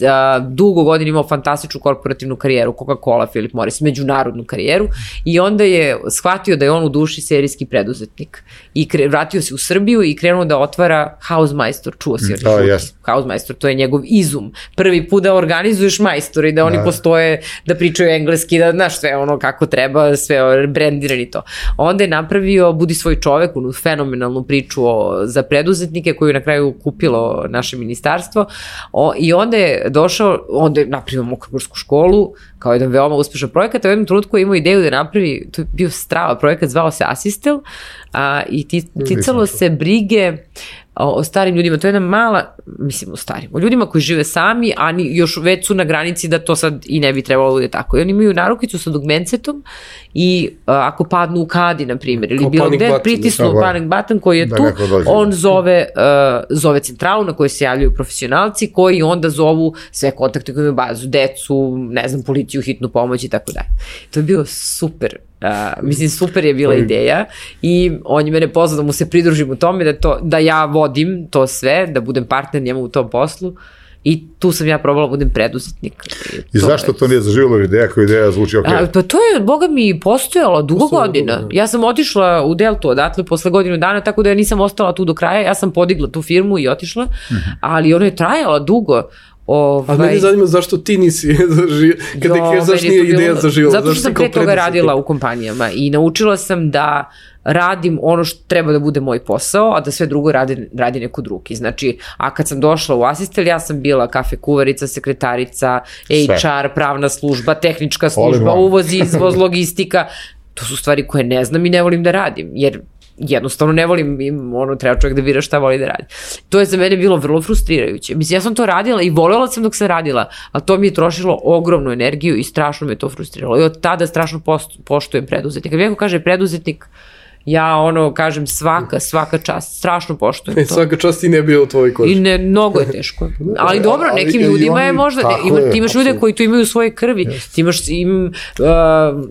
a, dugo godina imao fantastičnu korporativnu karijeru, Coca-Cola, Philip Morris, međunarodnu karijeru i onda je shvatio da je on u duši serijski preduzetnik i kre, vratio se u Srbiju i krenuo da otvara Hausmeister, čuo si mm, oh, yes. Hausmeister, to je njegov izum. Prvi put da organizuješ majstori, da oni da. Postoje, da pričaju engleski, da znaš sve ono kako treba, sve brendirani to. Onda je napravio Budi svoj čovek, onu fenomenalnu priču o, za preduzetnike koju je na kraju kupilo naše ministarstvo o, i onda je došao, onda je napravio Mokrogorsku školu kao jedan veoma uspešan projekat, a u jednom trenutku je imao ideju da napravi, to je bio strava projekat, zvao se Asistel a, i ticalo se brige o, o starim ljudima, to je jedna mala, mislim o starim, o ljudima koji žive sami, a ni, još već su na granici da to sad i ne bi trebalo da bude tako. I oni imaju narukicu sa dugmencetom i a, ako padnu u kadi, na primjer, ili bilo gde, pritisnu panic button koji je da tu, on zove, uh, zove centralu na kojoj se javljaju profesionalci koji onda zovu sve kontakte koje imaju bazu, decu, ne znam, policiju, hitnu pomoć i tako dalje. To je bio super. Uh, mislim, super je bila ideja i on je mene pozvao da mu se pridružim u tome, da, to, da ja vodim to sve, da budem partner njemu u tom poslu i tu sam ja probala da budem preduzetnik. I, I to zašto je... to nije zaživjelo ideja koja ideja zvuči ok? A, pa to je, boga mi, postojalo dugo Postojalo godina. Dugo, ja sam otišla u Deltu odatle posle godinu dana, tako da ja nisam ostala tu do kraja, ja sam podigla tu firmu i otišla, mm-hmm. ali ona je trajala dugo. Ovaj... Ali mene zanima zašto ti nisi zaživjela, kada ti kažeš zašto nije ideja zaživjela. Zato što sam pre toga radila u kompanijama i naučila sam da radim ono što treba da bude moj posao, a da sve drugo radi, radi neko drugi. Znači, a kad sam došla u Asistel, ja sam bila kafe kuvarica, sekretarica, H R, pravna služba, tehnička služba, uvoz, izvoz, logistika. To su stvari koje ne znam i ne volim da radim, jer jednostavno ne volim, ono, treba čovjek da bira šta voli da radi. To je za mene bilo vrlo frustrirajuće. Mislim, ja sam to radila i voljela sam dok sam radila, ali to mi je trošilo ogromnu energiju i strašno me to frustriralo. I od tada strašno poštujem preduzetnika. Kad mi neko kaže preduzetnik, ja ono kažem svaka, svaka čast, strašno poštujem e, to. Svaka čast i ne bio u tvojoj koži. I ne, mnogo je teško. Ali dobro, ali, nekim ljudima oni, je možda, ne, ima, ti imaš ljude koji to imaju u svojoj krvi, yes. Ti imaš im, uh,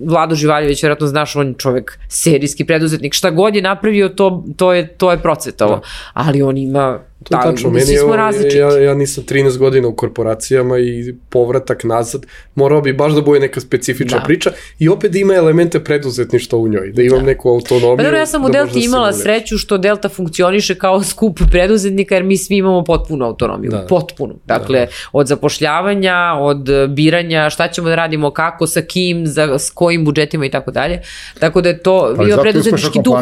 Vlado Živaljević, vjerojatno znaš, on je čovjek serijski preduzetnik, šta god je napravio, to, to je, to je procvetalo. Da. Ali on ima... To je tačno, meni je, ja, ja nisam trinaest godina u korporacijama i povratak nazad, morao bi baš da bude neka specifična da. priča i opet ima elemente preduzetništva u njoj, da imam da. neku autonomiju. Pa dobro, ja sam u Delti imala sreću što Delta funkcioniše kao skup preduzetnika jer mi svi imamo potpunu autonomiju, da. potpunu. Dakle, da. od zapošljavanja, od biranja, šta ćemo da radimo, kako, sa kim, za, s kojim budžetima i tako dalje. Tako da je to bio preduzetnički duh.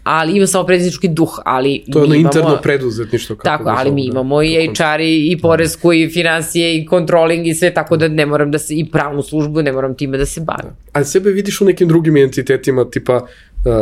ali ima samo preduzetnički duh, ali to je ono imamo, interno preduzetništvo. Tako, ali mi imamo i H R i, i poresku i financije i controlling i sve, tako da ne moram da se, i pravnu službu, ne moram time da se bavim. A sebe vidiš u nekim drugim entitetima, tipa,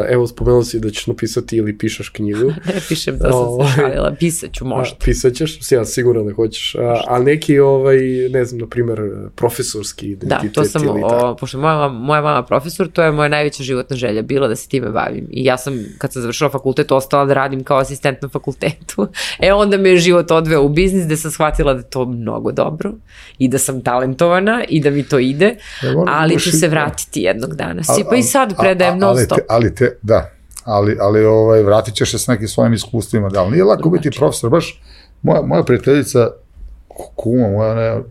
evo, spomenuo si da ćeš napisati ili pišeš knjigu. Ne pišem, da sam se šalila, pisat ću možda. A, pisat ćeš, ja siguran da hoćeš, a, a neki, ovaj, ne znam, na primer, profesorski identitet. Da, to sam, o, pošto moja, moja mama profesor, to je moja najveća životna želja bila da se time bavim. I ja sam, kad sam završila fakultet, ostala da radim kao asistent na fakultetu. E, onda me je život odveo u biznis, gde sam shvatila da je to mnogo dobro i da sam talentovana i da mi to ide, ali ću se vratiti jednog dana. Si, pa i sad predajem non stop. Ali te, da, ali, ali ovaj, vratit ćeš se s nekim svojim iskustvima, da, ali nije lako biti profesor, baš moja, moja prijateljica, kuma moja, ne,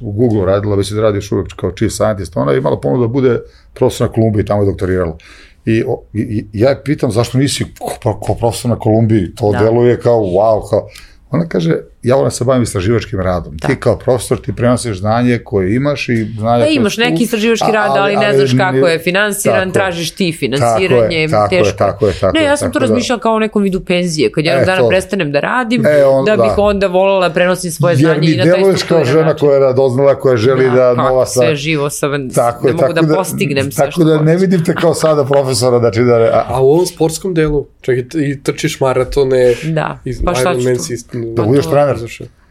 u Google radila, već da radi još uvijek kao chief scientist, ona je imala ponudu da bude profesor na Kolumbiji, tamo je doktorirala. I, o, i ja je pitam zašto nisi ko, ko profesor na Kolumbiji, to da. Deluje kao wow, kao, ona kaže, ja volim se bavim istraživačkim radom. Da. Ti kao profesor ti prenosiš znanje koje imaš i znanje... Pa imaš neki tu, istraživački rad, ali, ali ne znaš kako je finansiran, tako, tražiš ti finansiranje, tako je, teško. Tako je, tako ne, je, ja sam to razmišljala da, kao o nekom vidu penzije, kad jednog e, dana to, prestanem da radim, e, on, da bih da. onda volala prenosim svoje jer znanje i na taj deluješ kao žena način. koja je radoznala, koja želi da, da nova stvar... sve živo sam, tako ne mogu da, da postignem sve tako da ne vidim te kao sada profesora, znači da... A, a u ovom sportskom delu, čekaj, i trčiš maratone, da, pa šta ću to? Da budeš trener.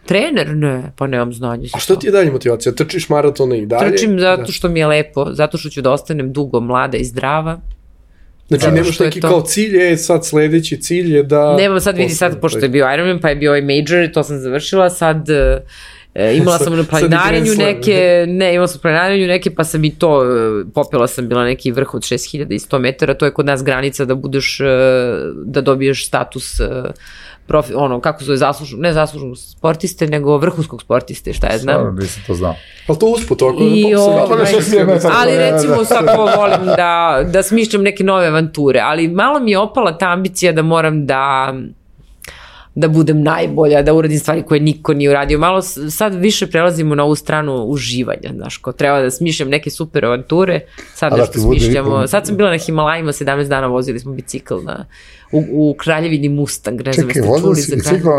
Trener? Ne, pa nemam znanje. A što ti je dalje motivacija? Trčiš maratone i dalje? Trčim zato da. Što mi je lepo, zato što ću da ostanem dugo mlada i zdrava. Znači da, nemaš neki kao cilj, je sad sledeći cilj je da... Nemam sad, vidi sad, pošto je bio Ironman, pa je bio i major, to sam završila, sad... E, imala sam na planinarenju neke, ne, imala sam na planinarenju neke, pa sam i to, popela sam bila neki vrh od šest hiljada sto metara, to je kod nas granica da budeš, da dobiješ status profi, ono, kako zove, zaslužnog, ne zaslužnog sportiste, nego vrhunskog sportiste, šta je znam. Stvarno, nisam to znao. Ali to usput, ako I, da o, ali recimo sad to volim da, da smišljam neke nove avanture, ali malo mi je opala ta ambicija da moram da da budem najbolja, da uradim stvari koje niko nije uradio. Malo sad više prelazimo na ovu stranu uživanja, znaš, ko treba da smišljam neke super avanture, sad nešto smišljamo. Sad sam bila na Himalajima, sedamnaest dana vozili smo bicikl na, u, u Kraljevini Mustang, ne znam jeste čuli za Kraljevini. Bicikl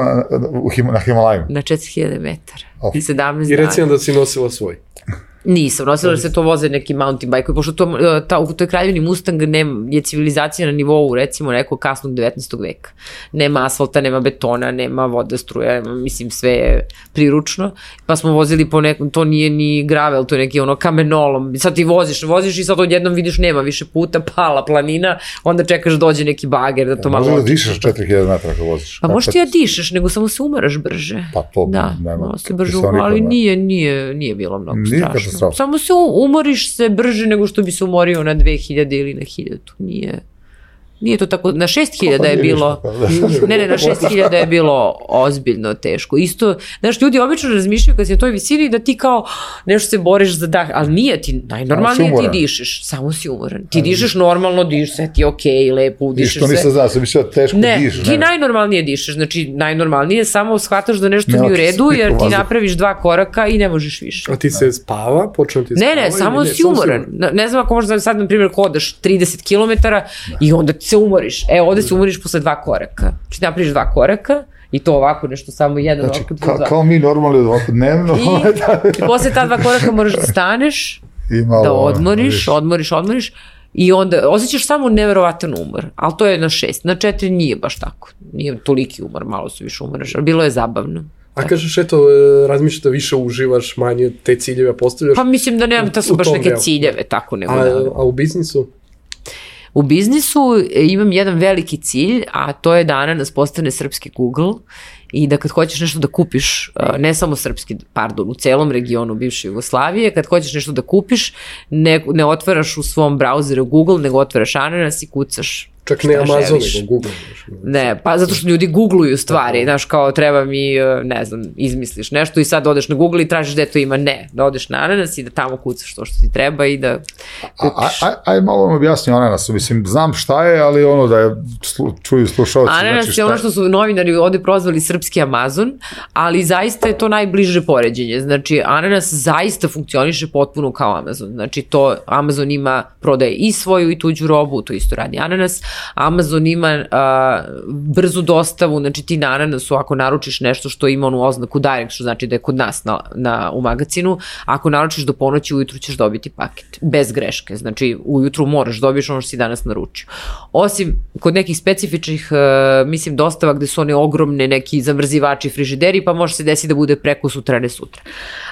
na, na Himalajima? Na četiri hiljade metara. Oh. sedamnaest I dana. reci nam da si nosila svoj. Nisam, nosila da se to voze neki mountain bike, pošto to, ta, u toj Kraljevini Mustang nema, je civilizacija na nivou recimo nekog kasnog devetnaestog veka. Nema asfalta, nema betona, nema voda, struja, nema, mislim sve je priručno, pa smo vozili po nekom, to nije ni gravel, to je neki ono kamenolom, sad ti voziš, voziš i sad odjednom vidiš nema više puta, pala planina, onda čekaš dođe neki bager da to malo... Može da dišeš četiri hiljade metara kad voziš? Pa možda ti ja dišeš, nego samo se umaraš brže. Pa to da, nema. Da, se brže umaraš, ali nije, nije, nije bilo mnogo strašno. Strašno. Samo se umoriš se brže nego što bi se umorio na dve hiljade ili na hiljadu. Nije, nije to tako, na šest hiljada je bilo, ne, ne, na šest hiljada je bilo ozbiljno teško. Isto, znaš, ljudi obično razmišljaju kad si na toj visini da ti kao nešto se boriš za dah, ali nije ti, najnormalnije ti dišeš, samo si umoran. Ti dišeš normalno, dišeš, sve ti je okej, lepo, dišeš sve. Ništa nisam znao, sam mislio teško ne, dišeš. Ti ne, ti najnormalnije dišeš, znači najnormalnije samo shvataš da nešto nije u redu, jer ti napraviš dva koraka i ne možeš više. A ti se spava, počne ti spava? Ne, ne, samo si umoran. Ne znam ako možda sad, na primjer, hodaš trideset kilometara i onda se umoriš. E, ovde se umoriš posle dva koraka. Znači, napraviš dva koraka i to ovako nešto, samo jedan znači, ovako, dva. Ka, kao mi normalni ovako dnevno. I, i posle ta dva koraka moraš da staneš, malo, da odmoriš, viš. odmoriš, odmoriš i onda osjećaš samo neverovatan umor. Ali to je na šest. Na četiri nije baš tako. Nije toliki umor, malo se više umoraš, ali bilo je zabavno. A kažeš, eto, razmišljaš da više uživaš, manje te ciljeve postavljaš? Pa mislim da nemam, to su baš neke ciljeve, tako nego. A, a u biznisu? U biznisu imam jedan veliki cilj, a to je da Ananas postane srpski Google i da kad hoćeš nešto da kupiš, ne samo srpski, pardon, u celom regionu bivše Jugoslavije, kad hoćeš nešto da kupiš, ne, ne otvaraš u svom brauzeru Google, nego otvaraš Ananas i kucaš. Čak ne Amazon, nego Google. Ne, pa zato što ljudi googluju stvari, znaš, kao treba mi, ne znam, izmisliš nešto i sad odeš na Google i tražiš gde to ima, ne, da odeš na Ananas i da tamo kucaš to što ti treba i da kupiš. Aj, aj malo vam objasni o Ananasu, mislim, znam šta je, ali ono da je slu, čuju slušalci. Ananas znači je ono što su novinari ovde prozvali srpski Amazon, ali zaista je to najbliže poređenje, znači Ananas zaista funkcioniše potpuno kao Amazon, znači to Amazon ima, prodaje i svoju i tuđu robu, to isto radi Ananas, Amazon ima a, brzu dostavu, znači ti na Ananasu ako naručiš nešto što ima onu oznaku direct, što znači da je kod nas na, na, u magazinu, ako naručiš do ponoći, ujutru ćeš dobiti paket, bez greške, znači ujutru moraš dobiješ ono što si danas naručio. Osim kod nekih specifičnih, uh, mislim, dostava gde su one ogromne neki zamrzivači, frižideri, pa može se desiti da bude preko sutra, ne sutra.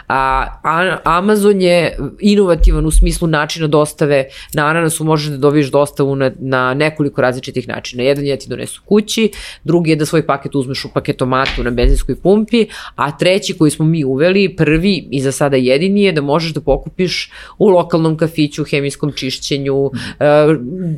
A, a Amazon je inovativan u smislu načina dostave. Na Ananasu možeš da dobiješ dostavu na, na nekoliko različitih načina. Jedan je da ti donesu kući, drugi je da svoj paket uzmeš u paketomatu na benzinskoj pumpi, a treći koji smo mi uveli, prvi i za sada jedini je da možeš da pokupiš u lokalnom kafiću, hemijskom čišćenju, uh,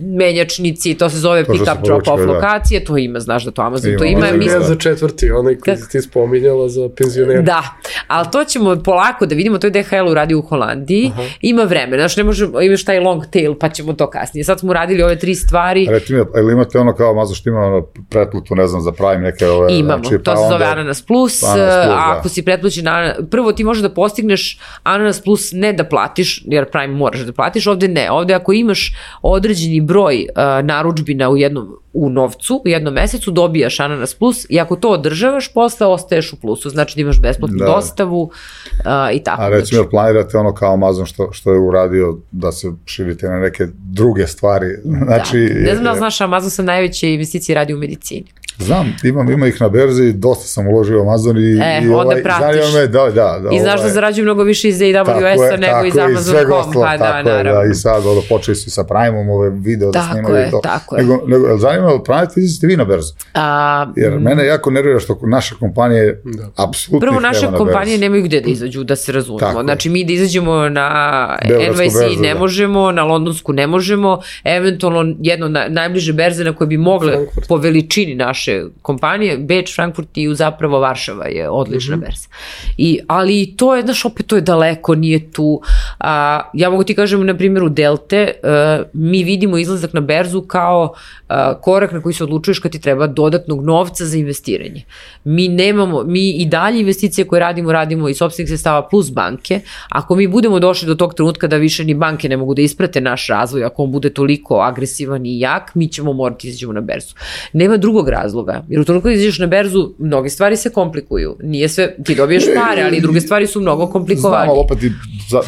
menjačnici, to se zove pick up drop off da. Lokacije, to ima, znaš da to Amazon ima, to ima. Ima je za četvrti, onaj koji ti spominjala za penzionera. Da, ali to ćemo polako da vidimo, to je D H L uradio u Holandiji, aha. Ima vremena, znaš, ne možemo, imaš taj long tail, pa ćemo to kasnije. Sad smo uradili ove tri stvari. Reti mi, ili imate ono kao Amazon što ima ono pretplutu, ne znam, za Prime neke ove... Imamo, znači, to pa se zove onda... Ananas Plus, Ananas Plus a ako da. Si pretplućen na... Prvo ti možeš da postigneš Ananas Plus ne da platiš, jer Prime moraš da platiš, ovde ne. Ovde ako imaš određeni broj uh, narudžbina u jednom u novcu, u jednom mesecu dobijaš Ananas Plus i ako to održavaš, posle ostaješ u plusu, znači da imaš besplatnu da. Dostavu uh, i tako. A recimo znači. Planirate ono kao Amazon što, što je uradio da se širite na neke druge stvari. Znači, da. Ne znam da znaš, Amazon sa najveće investicije radi u medicini. Znam, imam, ima ih na berzi, dosta sam uložio u Amazon i, e, i ovaj, zanima me, da, da. da I znaš ovaj, da zarađuju mnogo više iz A W S-a nego iz Amazon dot com, pa da, naravno. Je, da, i sad ono, počeli su sa Prime-om ove video da tako snimaju je, to. Tako nego, nego, nego, zanima me, pravite izlazite vi na berzu? A, Jer m... mene jako nervira što naša kompanija da. Apsolutno prvo, naše kompanije nemaju gde da izađu, da se razumemo. Tako znači, mi da izađemo na N Y C berzu, ne možemo, da. Na londonsku ne možemo, eventualno jedno na, najbliže berze na koje bi mogle Frankfurt. Po veličini naše kompanije, Beč, Frankfurt i zapravo Varšava je odlična mm-hmm. berza. I, ali to je, znaš, opet to je daleko, nije tu. A, ja mogu ti kažem, na primjeru Delte, a, mi vidimo izlazak na berzu kao a, korak na koji se odlučuješ kad ti treba dodatnog novca za investiranje. Mi nemamo, mi i dalje investicije koje radimo, radimo iz sopstvenih sredstava plus banke. Ako mi budemo došli do tog trenutka da više ni banke ne mogu da isprate naš razvoj, ako on bude toliko agresivan i jak, mi ćemo morati izađemo na berzu. Nema drugog razloga, jer u trenutku da izađeš na berzu, mnoge stvari se komplikuju. Nije sve, ti dobiješ pare, ali druge stvari su mnogo komplikovane. Znamo, opet i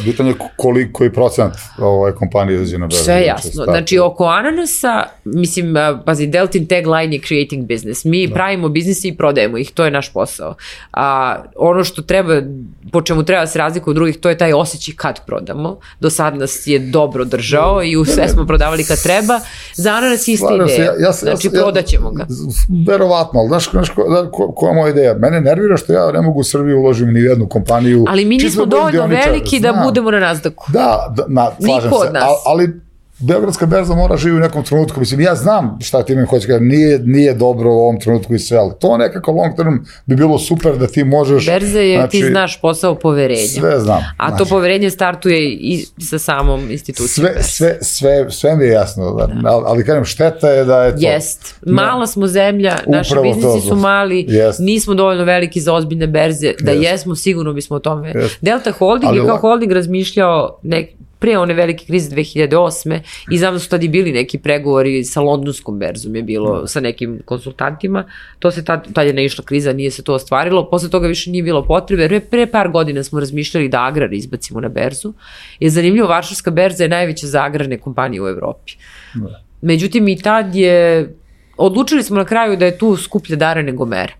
pitanje koliko je procent ovaj kompanije izađe na berzu. Sve jasno. Znači, oko Ananasa, mislim, pazi, Deltin tagline je creating business. Mi da. Pravimo biznise i prodajemo ih, to je naš posao. A ono što treba, po čemu treba se razlikuje od drugih, to je taj osjećaj kad prodamo. Do sad nas je dobro držao i u sve smo prodavali kad treba. Za Ananas ista ideja. Ja, ja, znači, ja, prodaćemo ga. Verovatno, ali znaš, znaš ko, ko, koja je moja ideja? Mene nervira što ja ne mogu u Srbiji uložim ni u jednu kompaniju. Ali mi nismo dovoljno veliki da budemo na Nasdaqu. Da, da na, slažem Niko se. od nas. Al, ali Beogradska berza mora živi u nekom trenutku. Mislim, ja znam šta ti mi hoće kada nije, nije dobro u ovom trenutku i sve, ali to nekako long term bi bilo super da ti možeš... Berza je, znači, ti znaš posao poverenja. Sve znam. A znači, to poverenje startuje i sa samom institucijom. Sve, sve, sve, sve mi je jasno, da. ali, ali kažem, šteta je da je to... Jest. Mala smo zemlja, naši biznisi su mali, jest. Nismo dovoljno veliki za ozbiljne berze, da jest. Jesmo, sigurno bismo o tome... Jest. Delta Holding ali, je kao holding razmišljao nek, pre one velike krize dve hiljade osme i znam da su tada i bili neki pregovori sa londonskom berzom je bilo mm. sa nekim konsultantima, to se tad, tad je naišla kriza, nije se to ostvarilo, posle toga više nije bilo potrebe, pre, pre par godina smo razmišljali da agrar izbacimo na berzu, je zanimljivo, Varšavska berza je najveća za agrarne kompanije u Evropi. Mm. Međutim i tad je, odlučili smo na kraju da je tu skuplja dara nego mere.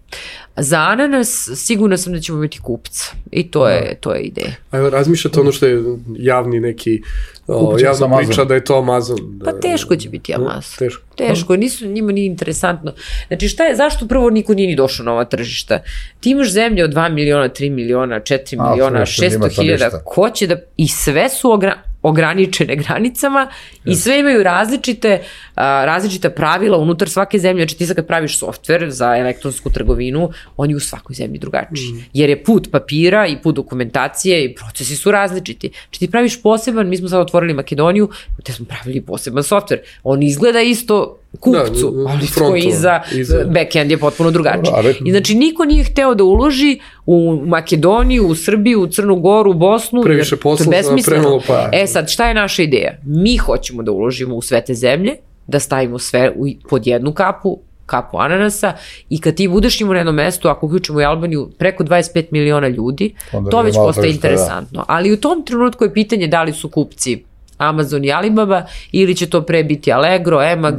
Za Ananas sigurno sam da ćemo imati kupca i to je, to je ideja. A evo, razmišljate ono što je javni neki, o, javna priča da je to Amazon? Da, pa teško će biti Amazon. Teško. Teško, nisu, njima nije interesantno. Znači šta je, zašto prvo niko nije ni došao na ova tržišta? Ti imaš zemlje od dva miliona, tri miliona, četiri miliona, šesto hiljada, ko će da, i sve su ogra, ograničene granicama yes. i sve imaju različite, a, različita pravila unutar svake zemlje. Znači ti sad kad praviš softver za elektronsku trgovinu, on je u svakoj zemlji drugačiji. Mm. Jer je put papira i put dokumentacije i procesi su različiti. Znači ti praviš poseban, mi smo sad otvorili Makedoniju, te smo pravili poseban softver. On izgleda isto kupcu, da, ali frontu, iza, iza backend je potpuno drugačiji. I znači niko nije hteo da uloži u Makedoniju, u Srbiju, u Crnu Goru, u Bosnu. Previše posla, premalo pa. E sad, šta je naša ideja? Mi hoćemo da uložimo u sve te zemlje, da stavimo sve u, pod jednu kapu, kapu ananasa i kad ti budeš imao na jednom mestu, ako uključimo i Albaniju, preko dvadeset pet miliona ljudi, onda to već postaje interesantno. Da. Ali u tom trenutku je pitanje da li su kupci Amazon i Alibaba ili će to pre biti Allegro, Emag,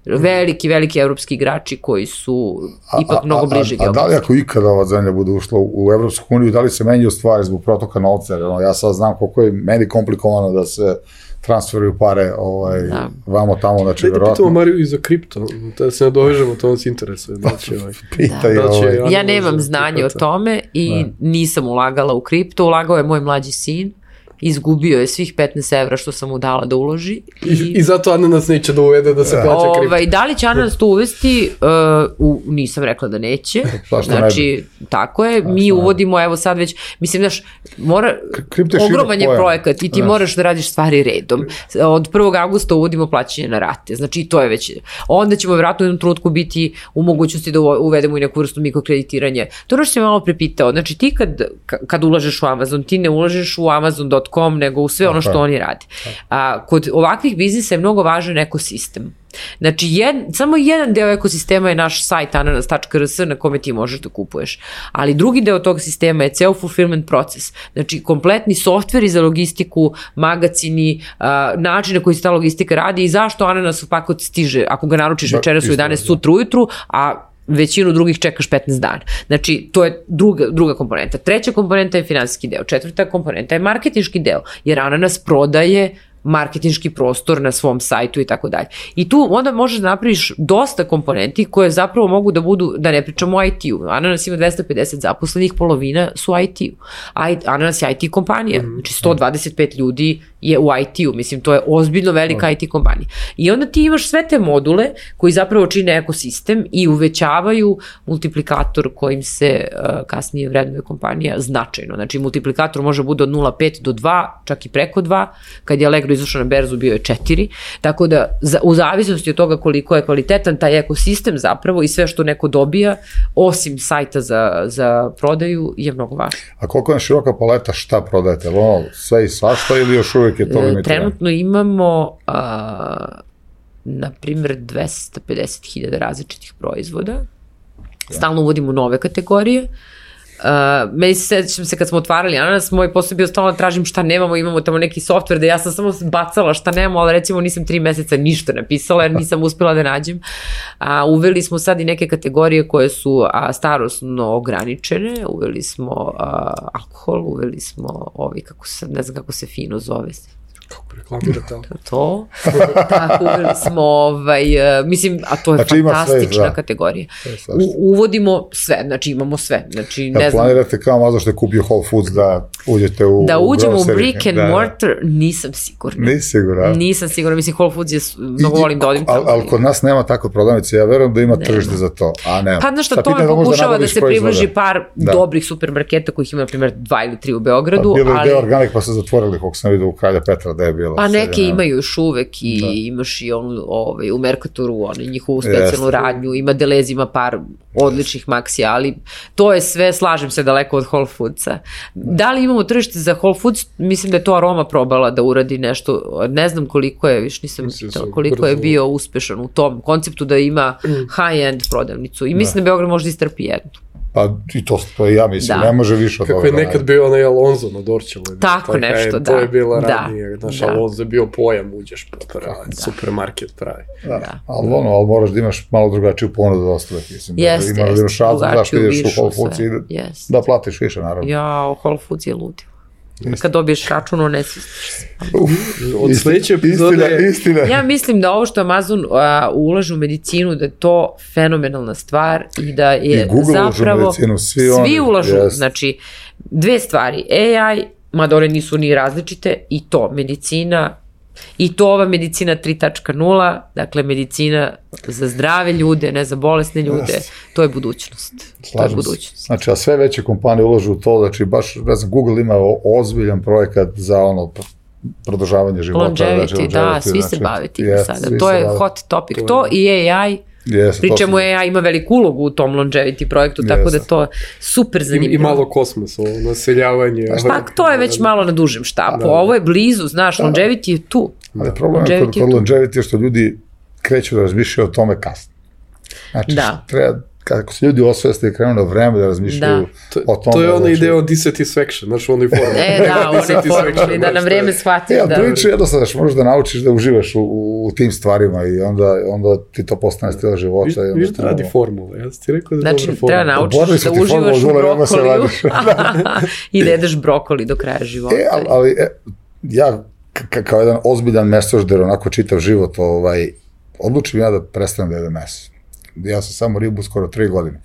veliki, veliki evropski igrači koji su ipak a, a, mnogo bliži geografski. A, a da li ako ikada ova zemlja bude ušla u Evropsku uniju, da li se menjaju stvari zbog protoka novca? Ja sad znam koliko je meni komplikovano da se transferuju pare ovaj, da. vamo tamo, znači verovatno. Da pitamo Mariju i za kripto, da se nadovežemo, to nas interesuje. Znači, ovaj, Pitaj, da. ovaj. Ja nemam znanje o tome i da. nisam ulagala u kripto, ulagao je moj mlađi sin, izgubio je svih petnaest evra što sam mu dala da uloži. I, I, i zato Ananas neće da uvede da se plaća kripto. Ovaj, da li će Ananas to uvesti? Uh, u, nisam rekla da neće. Znači, tako je. Mi uvodimo, evo sad već, mislim, znaš, mora, ogroman je projekat i ti moraš da radiš stvari redom. Od prvog avgusta uvodimo plaćanje na rate. Znači, to je već. Onda ćemo vjerojatno u jednom trenutku biti u mogućnosti da uvedemo i neku vrstu mikrokreditiranja. To ono što si malo prepitao. Znači, ti kad, kad ulažeš u Amazon, ti ne ulažeš u Amazon dot com, nego u sve ono što oni rade. A, kod ovakvih biznisa je mnogo važan ekosistem. Znači, jed, samo jedan deo ekosistema je naš sajt ananas tačka r s na kome ti možeš da kupuješ. Ali drugi deo tog sistema je ceo fulfillment proces. Znači, kompletni softveri za logistiku, magacini, a, način na koji se ta logistika radi i zašto ananas u pakot stiže, ako ga naručiš večeras u jedanaest sutra ujutru, a većinu drugih čekaš petnaest dana. Znači, to je druga, druga komponenta. Treća komponenta je finansijski deo. Četvrta komponenta je marketinški deo, jer Ananas prodaje marketinški prostor na svom sajtu i tako dalje. I tu onda možeš da napraviš dosta komponenti koje zapravo mogu da budu, da ne pričamo o I T-u. Ananas ima dvesta pedeset zaposlenih, polovina su I T-u. Ananas je I T kompanija. Znači, sto dvadeset pet ljudi je u I T-u. Mislim, to je ozbiljno velika I T kompanija. I onda ti imaš sve te module koji zapravo čine ekosistem i uvećavaju multiplikator kojim se uh, kasnije vrednuje kompanija značajno. Znači, multiplikator može bude od nula zarez pet do dva, čak i preko dva. Kad je Allegro izašao na berzu, bio je četiri. Tako da, za, u zavisnosti od toga koliko je kvalitetan taj ekosistem zapravo i sve što neko dobija, osim sajta za, za prodaju, je mnogo važno. A koliko je široka paleta, šta prodajete? Ono, sve i svašta ili još uvijek je to limitirano? Trenutno imamo, a, na primjer, dvesta pedeset hiljada različitih proizvoda. Stalno uvodimo nove kategorije. Uh, meni se sećam se kad smo otvarali Ananas, moj posao je bio stalno da tražim šta nemamo, imamo tamo neki softver da ja sam samo bacala šta nemamo, ali recimo nisam tri meseca ništa napisala jer nisam uspela da nađem. Uh, uveli smo sad i neke kategorije koje su uh, starosno ograničene, uveli smo uh, alkohol, uveli smo ovi, kako se, ne znam kako se fino zove, kako reklamirate alkohol. To. Tako, uveli smo, ovaj, mislim, a to je znači, fantastična sve, kategorija. U, uvodimo sve, znači imamo sve. Znači, ne ja, znam. Planirate kao malo što je kupio Whole Foods da uđete u Da uđemo u, u brick and da, mortar, nisam sigurna. Nisi sigurna? Nisam sigurna, mislim, Whole Foods je, mnogo volim da odim tamo. Ali kod nas nema tako prodavnice, ja verujem da ima tržište za to, a nema. Pa znaš što, to me pokušava da se približi par da. dobrih supermarketa kojih ima, na primjer, dva ili tri u Beogradu. Pa, bilo je deo Organik pa se zatvorili, kako sam vidio u Kralja Petra da je bilo. Pa neke imaju još uvek i da. imaš i onu, ovaj, u Mercatoru, onu njihovu specijalnu yes. radnju, ima Delez, ima par odličnih maksija, ali to je sve, slažem se, daleko od Whole Foodsa. Da li imamo tržište za Whole Foods? Mislim da je to Aroma probala da uradi nešto, ne znam koliko je, viš nisam pitala, koliko je bio uspešan u tom konceptu da ima high-end prodavnicu i mislim da, da Beograd može da istrpi jednu. Pa i to, to ja mislim, da. ne može više od toga. Kako je nekad bio onaj Alonzo na Dorčelu. Tako taj, nešto, taj, da. To je bila radnije, znaš, da. Alonzo je bio pojam, uđeš pa pravi, da. supermarket pravi. Da, da. Ali ono, ali moraš da imaš malo drugačiju ponudu od ostalih, mislim. Jeste, da imaš šalzu, znaš, ideš u Whole Foods i yes. da platiš više, naravno. Ja, Whole Foods je ludio. Kad dobiješ račun, on ne svistiš se. Od sledeće epizode... Istina, istina. Ja mislim da ovo što Amazon uh, ulaže u medicinu, da je to fenomenalna stvar i da je I Google zapravo... ulažu u medicinu, svi, svi oni. ulažu, Yes. znači, dve stvari. A I, mada one nisu ni različite, i to, medicina, i to ova medicina tri tačka nula, dakle medicina za zdrave ljude, ne za bolesne ljude, yes. to je budućnost. Slažem to je budućnost. Znači, a sve veće kompanije ulažu u to, znači baš, ne znam, Google ima ozbiljan projekat za ono produžavanje života. Longevity, znači, da, longevity, svi znači, se bave tim yes, sada. To je hot topic. To, to i A I, yes, pričemu A I ima veliku ulogu u tom longevity projektu, yes. tako da to je super zanimljivo. I, i malo kosmosa, naseljavanje. Pa to je već malo na dužem štapu. Da, da. Ovo je blizu, znaš, longevity je tu. Ali problem je kod, kod longevity je što ljudi kreću da razmišljaju o tome kasno. Znači, Da. treba, kako se ljudi osveste i krenu na vreme da razmišljaju Da. o tome. To je ona znači, ideja o dissatisfaction, znaš, u onoj formi. E, da, u onoj formuli, da na vreme shvatiš Ja, da... priču jednostavno, znaš, možeš da naučiš da uživaš u, u tim stvarima i onda, onda ti to postane stil života. Viš, i onda viš da radi ono- formula, ja sam ti rekao da je Znači, dobra formula. treba naučiš Oborili da su ti uživaš u formulu, vreme se brokoliju radiš. i da jedeš brokoli do kraja života. E, ali, ali e, ja k- kao jedan ozbiljan mesožder, onako čitav život, ovaj, odlučim ja da prestanem da jedem meso. Ja sam samo ribu skoro tri godine.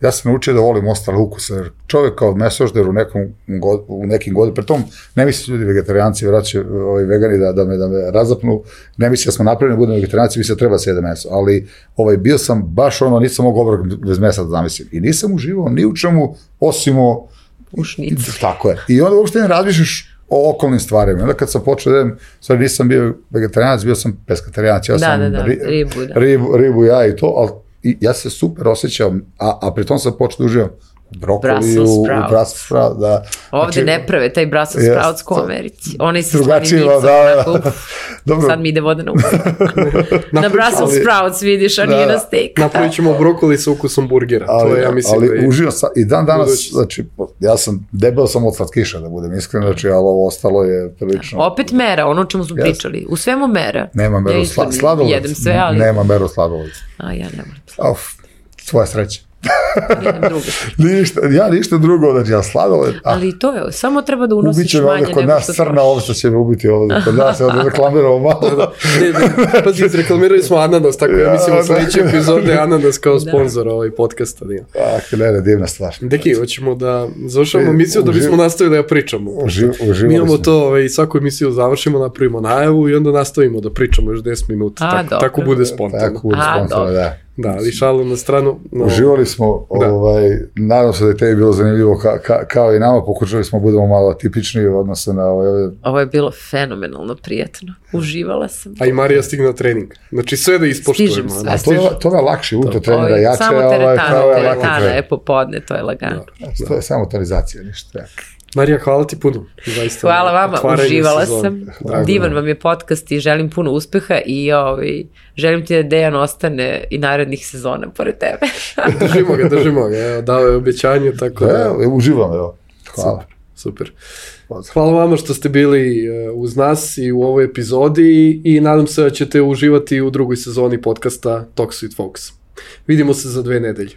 Ja sam naučio da volim ostale ukuse, jer čovjek kao mesožder u, nekom, god, u nekim godinama, pri tom ne misli ljudi vegetarijanci, vrat će ovaj, vegani da, da, me, da me razapnu, ne misli da smo napravljeni da budemo vegetarijanci, misli da treba se jede meso, ali ovaj, bio sam baš ono, nisam mogao obrok bez mesa da zamislim i nisam uživao ni u čemu, osim o... U šnicu. Tako je. I onda uopšte ne razmišljaš o okolnim stvarima. Onda kad sam počeo da jedem, stvari nisam bio vegetarijanac, bio sam peskaterijanac, ja Da, sam da, da, ri, ribu, da. ribu, ribu, ja i to, ali i ja se super osjećam, a, a pri tom sam počeo da uživam brokoli, Brussels u, u sprouts. Brussels sprouts, da. Ovde Znači, ne prave taj Brussels Jest. sprouts ko u Americi. Oni su Drugačije, slanim da, da. onako, Dobro. sad mi ide voda na usta. Na Brussels ali- sprouts vidiš, a Da. nije na steak. Napravit ćemo brokoli sa ukusom burgera, Ali, to je, ja mislim, ali da je... uživam sa, i dan danas, budućnost. znači, ja sam, debel sam od slatkiša, da budem iskren, znači, ali ovo ostalo je prilično... Opet mera, ono o čemu smo Jeste. pričali. U svemu mera. Nema meru Ja isto sla, sladoled. jedem sve, ali... Nema meru sladoled. A ja ne moram sladoled. Of, tvoja sreća. Jedem drugo. Ništa, ja ništa drugo, znači ja sladoled, a Ali i to je, samo treba da ubit unosiš će me manje ovdje kod nego nas što crna trošiš. ovca će me ubiti ovdje, kod nas je ovdje reklamiramo malo. Ne, ne, pazi, izreklamirali smo ananas, tako Ja, ja, mislimo da. sledeće epizode ananas kao sponsor ovaj podcasta. Da. Ah, ne, ne, divna stvar. Deki, hoćemo da završamo E, emisiju da bismo uživ- nastavili da pričamo. Uživ, uživali Mi imamo smo. to, ovaj, svaku emisiju završimo, napravimo najavu i onda nastavimo da pričamo još deset minuta. A, tako, dobro. tako bude spontano. Tako bude A, spontano, dobro. da. Da, ali šalu na stranu. No, Uživali smo, Da. ovaj, nadam se da je tebi bilo zanimljivo ka, ka, kao i nama, pokušali smo budemo malo tipični u odnosu na ovaj, Ovo je bilo fenomenalno prijatno. Uživala sam. A i Marija stigne na trening. Znači sve da ispoštujemo. Stižem sve. a to je, to je lakše, uto trenira Ovo je jače, samo ovaj, teretana, kao je lako teretana trening. je popodne, to je lagano. To je samo tonizacija, ništa. Marija, hvala ti puno. Zaista, Hvala vama, otvaranje uživala sezone. sam. Drago Divan nam. vam je podcast i želim puno uspeha i ovaj, želim ti da Dejan ostane i narednih sezona pored tebe. Držimo ga, držimo ga. Evo, dao je obećanje, tako da... Evo, uživam, evo. Hvala. Super. Hvala vama što ste bili uh, uz nas i u ovoj epizodi i nadam se da ćete uživati u drugoj sezoni podcasta Talks with Folks. Vidimo se za dve nedelje.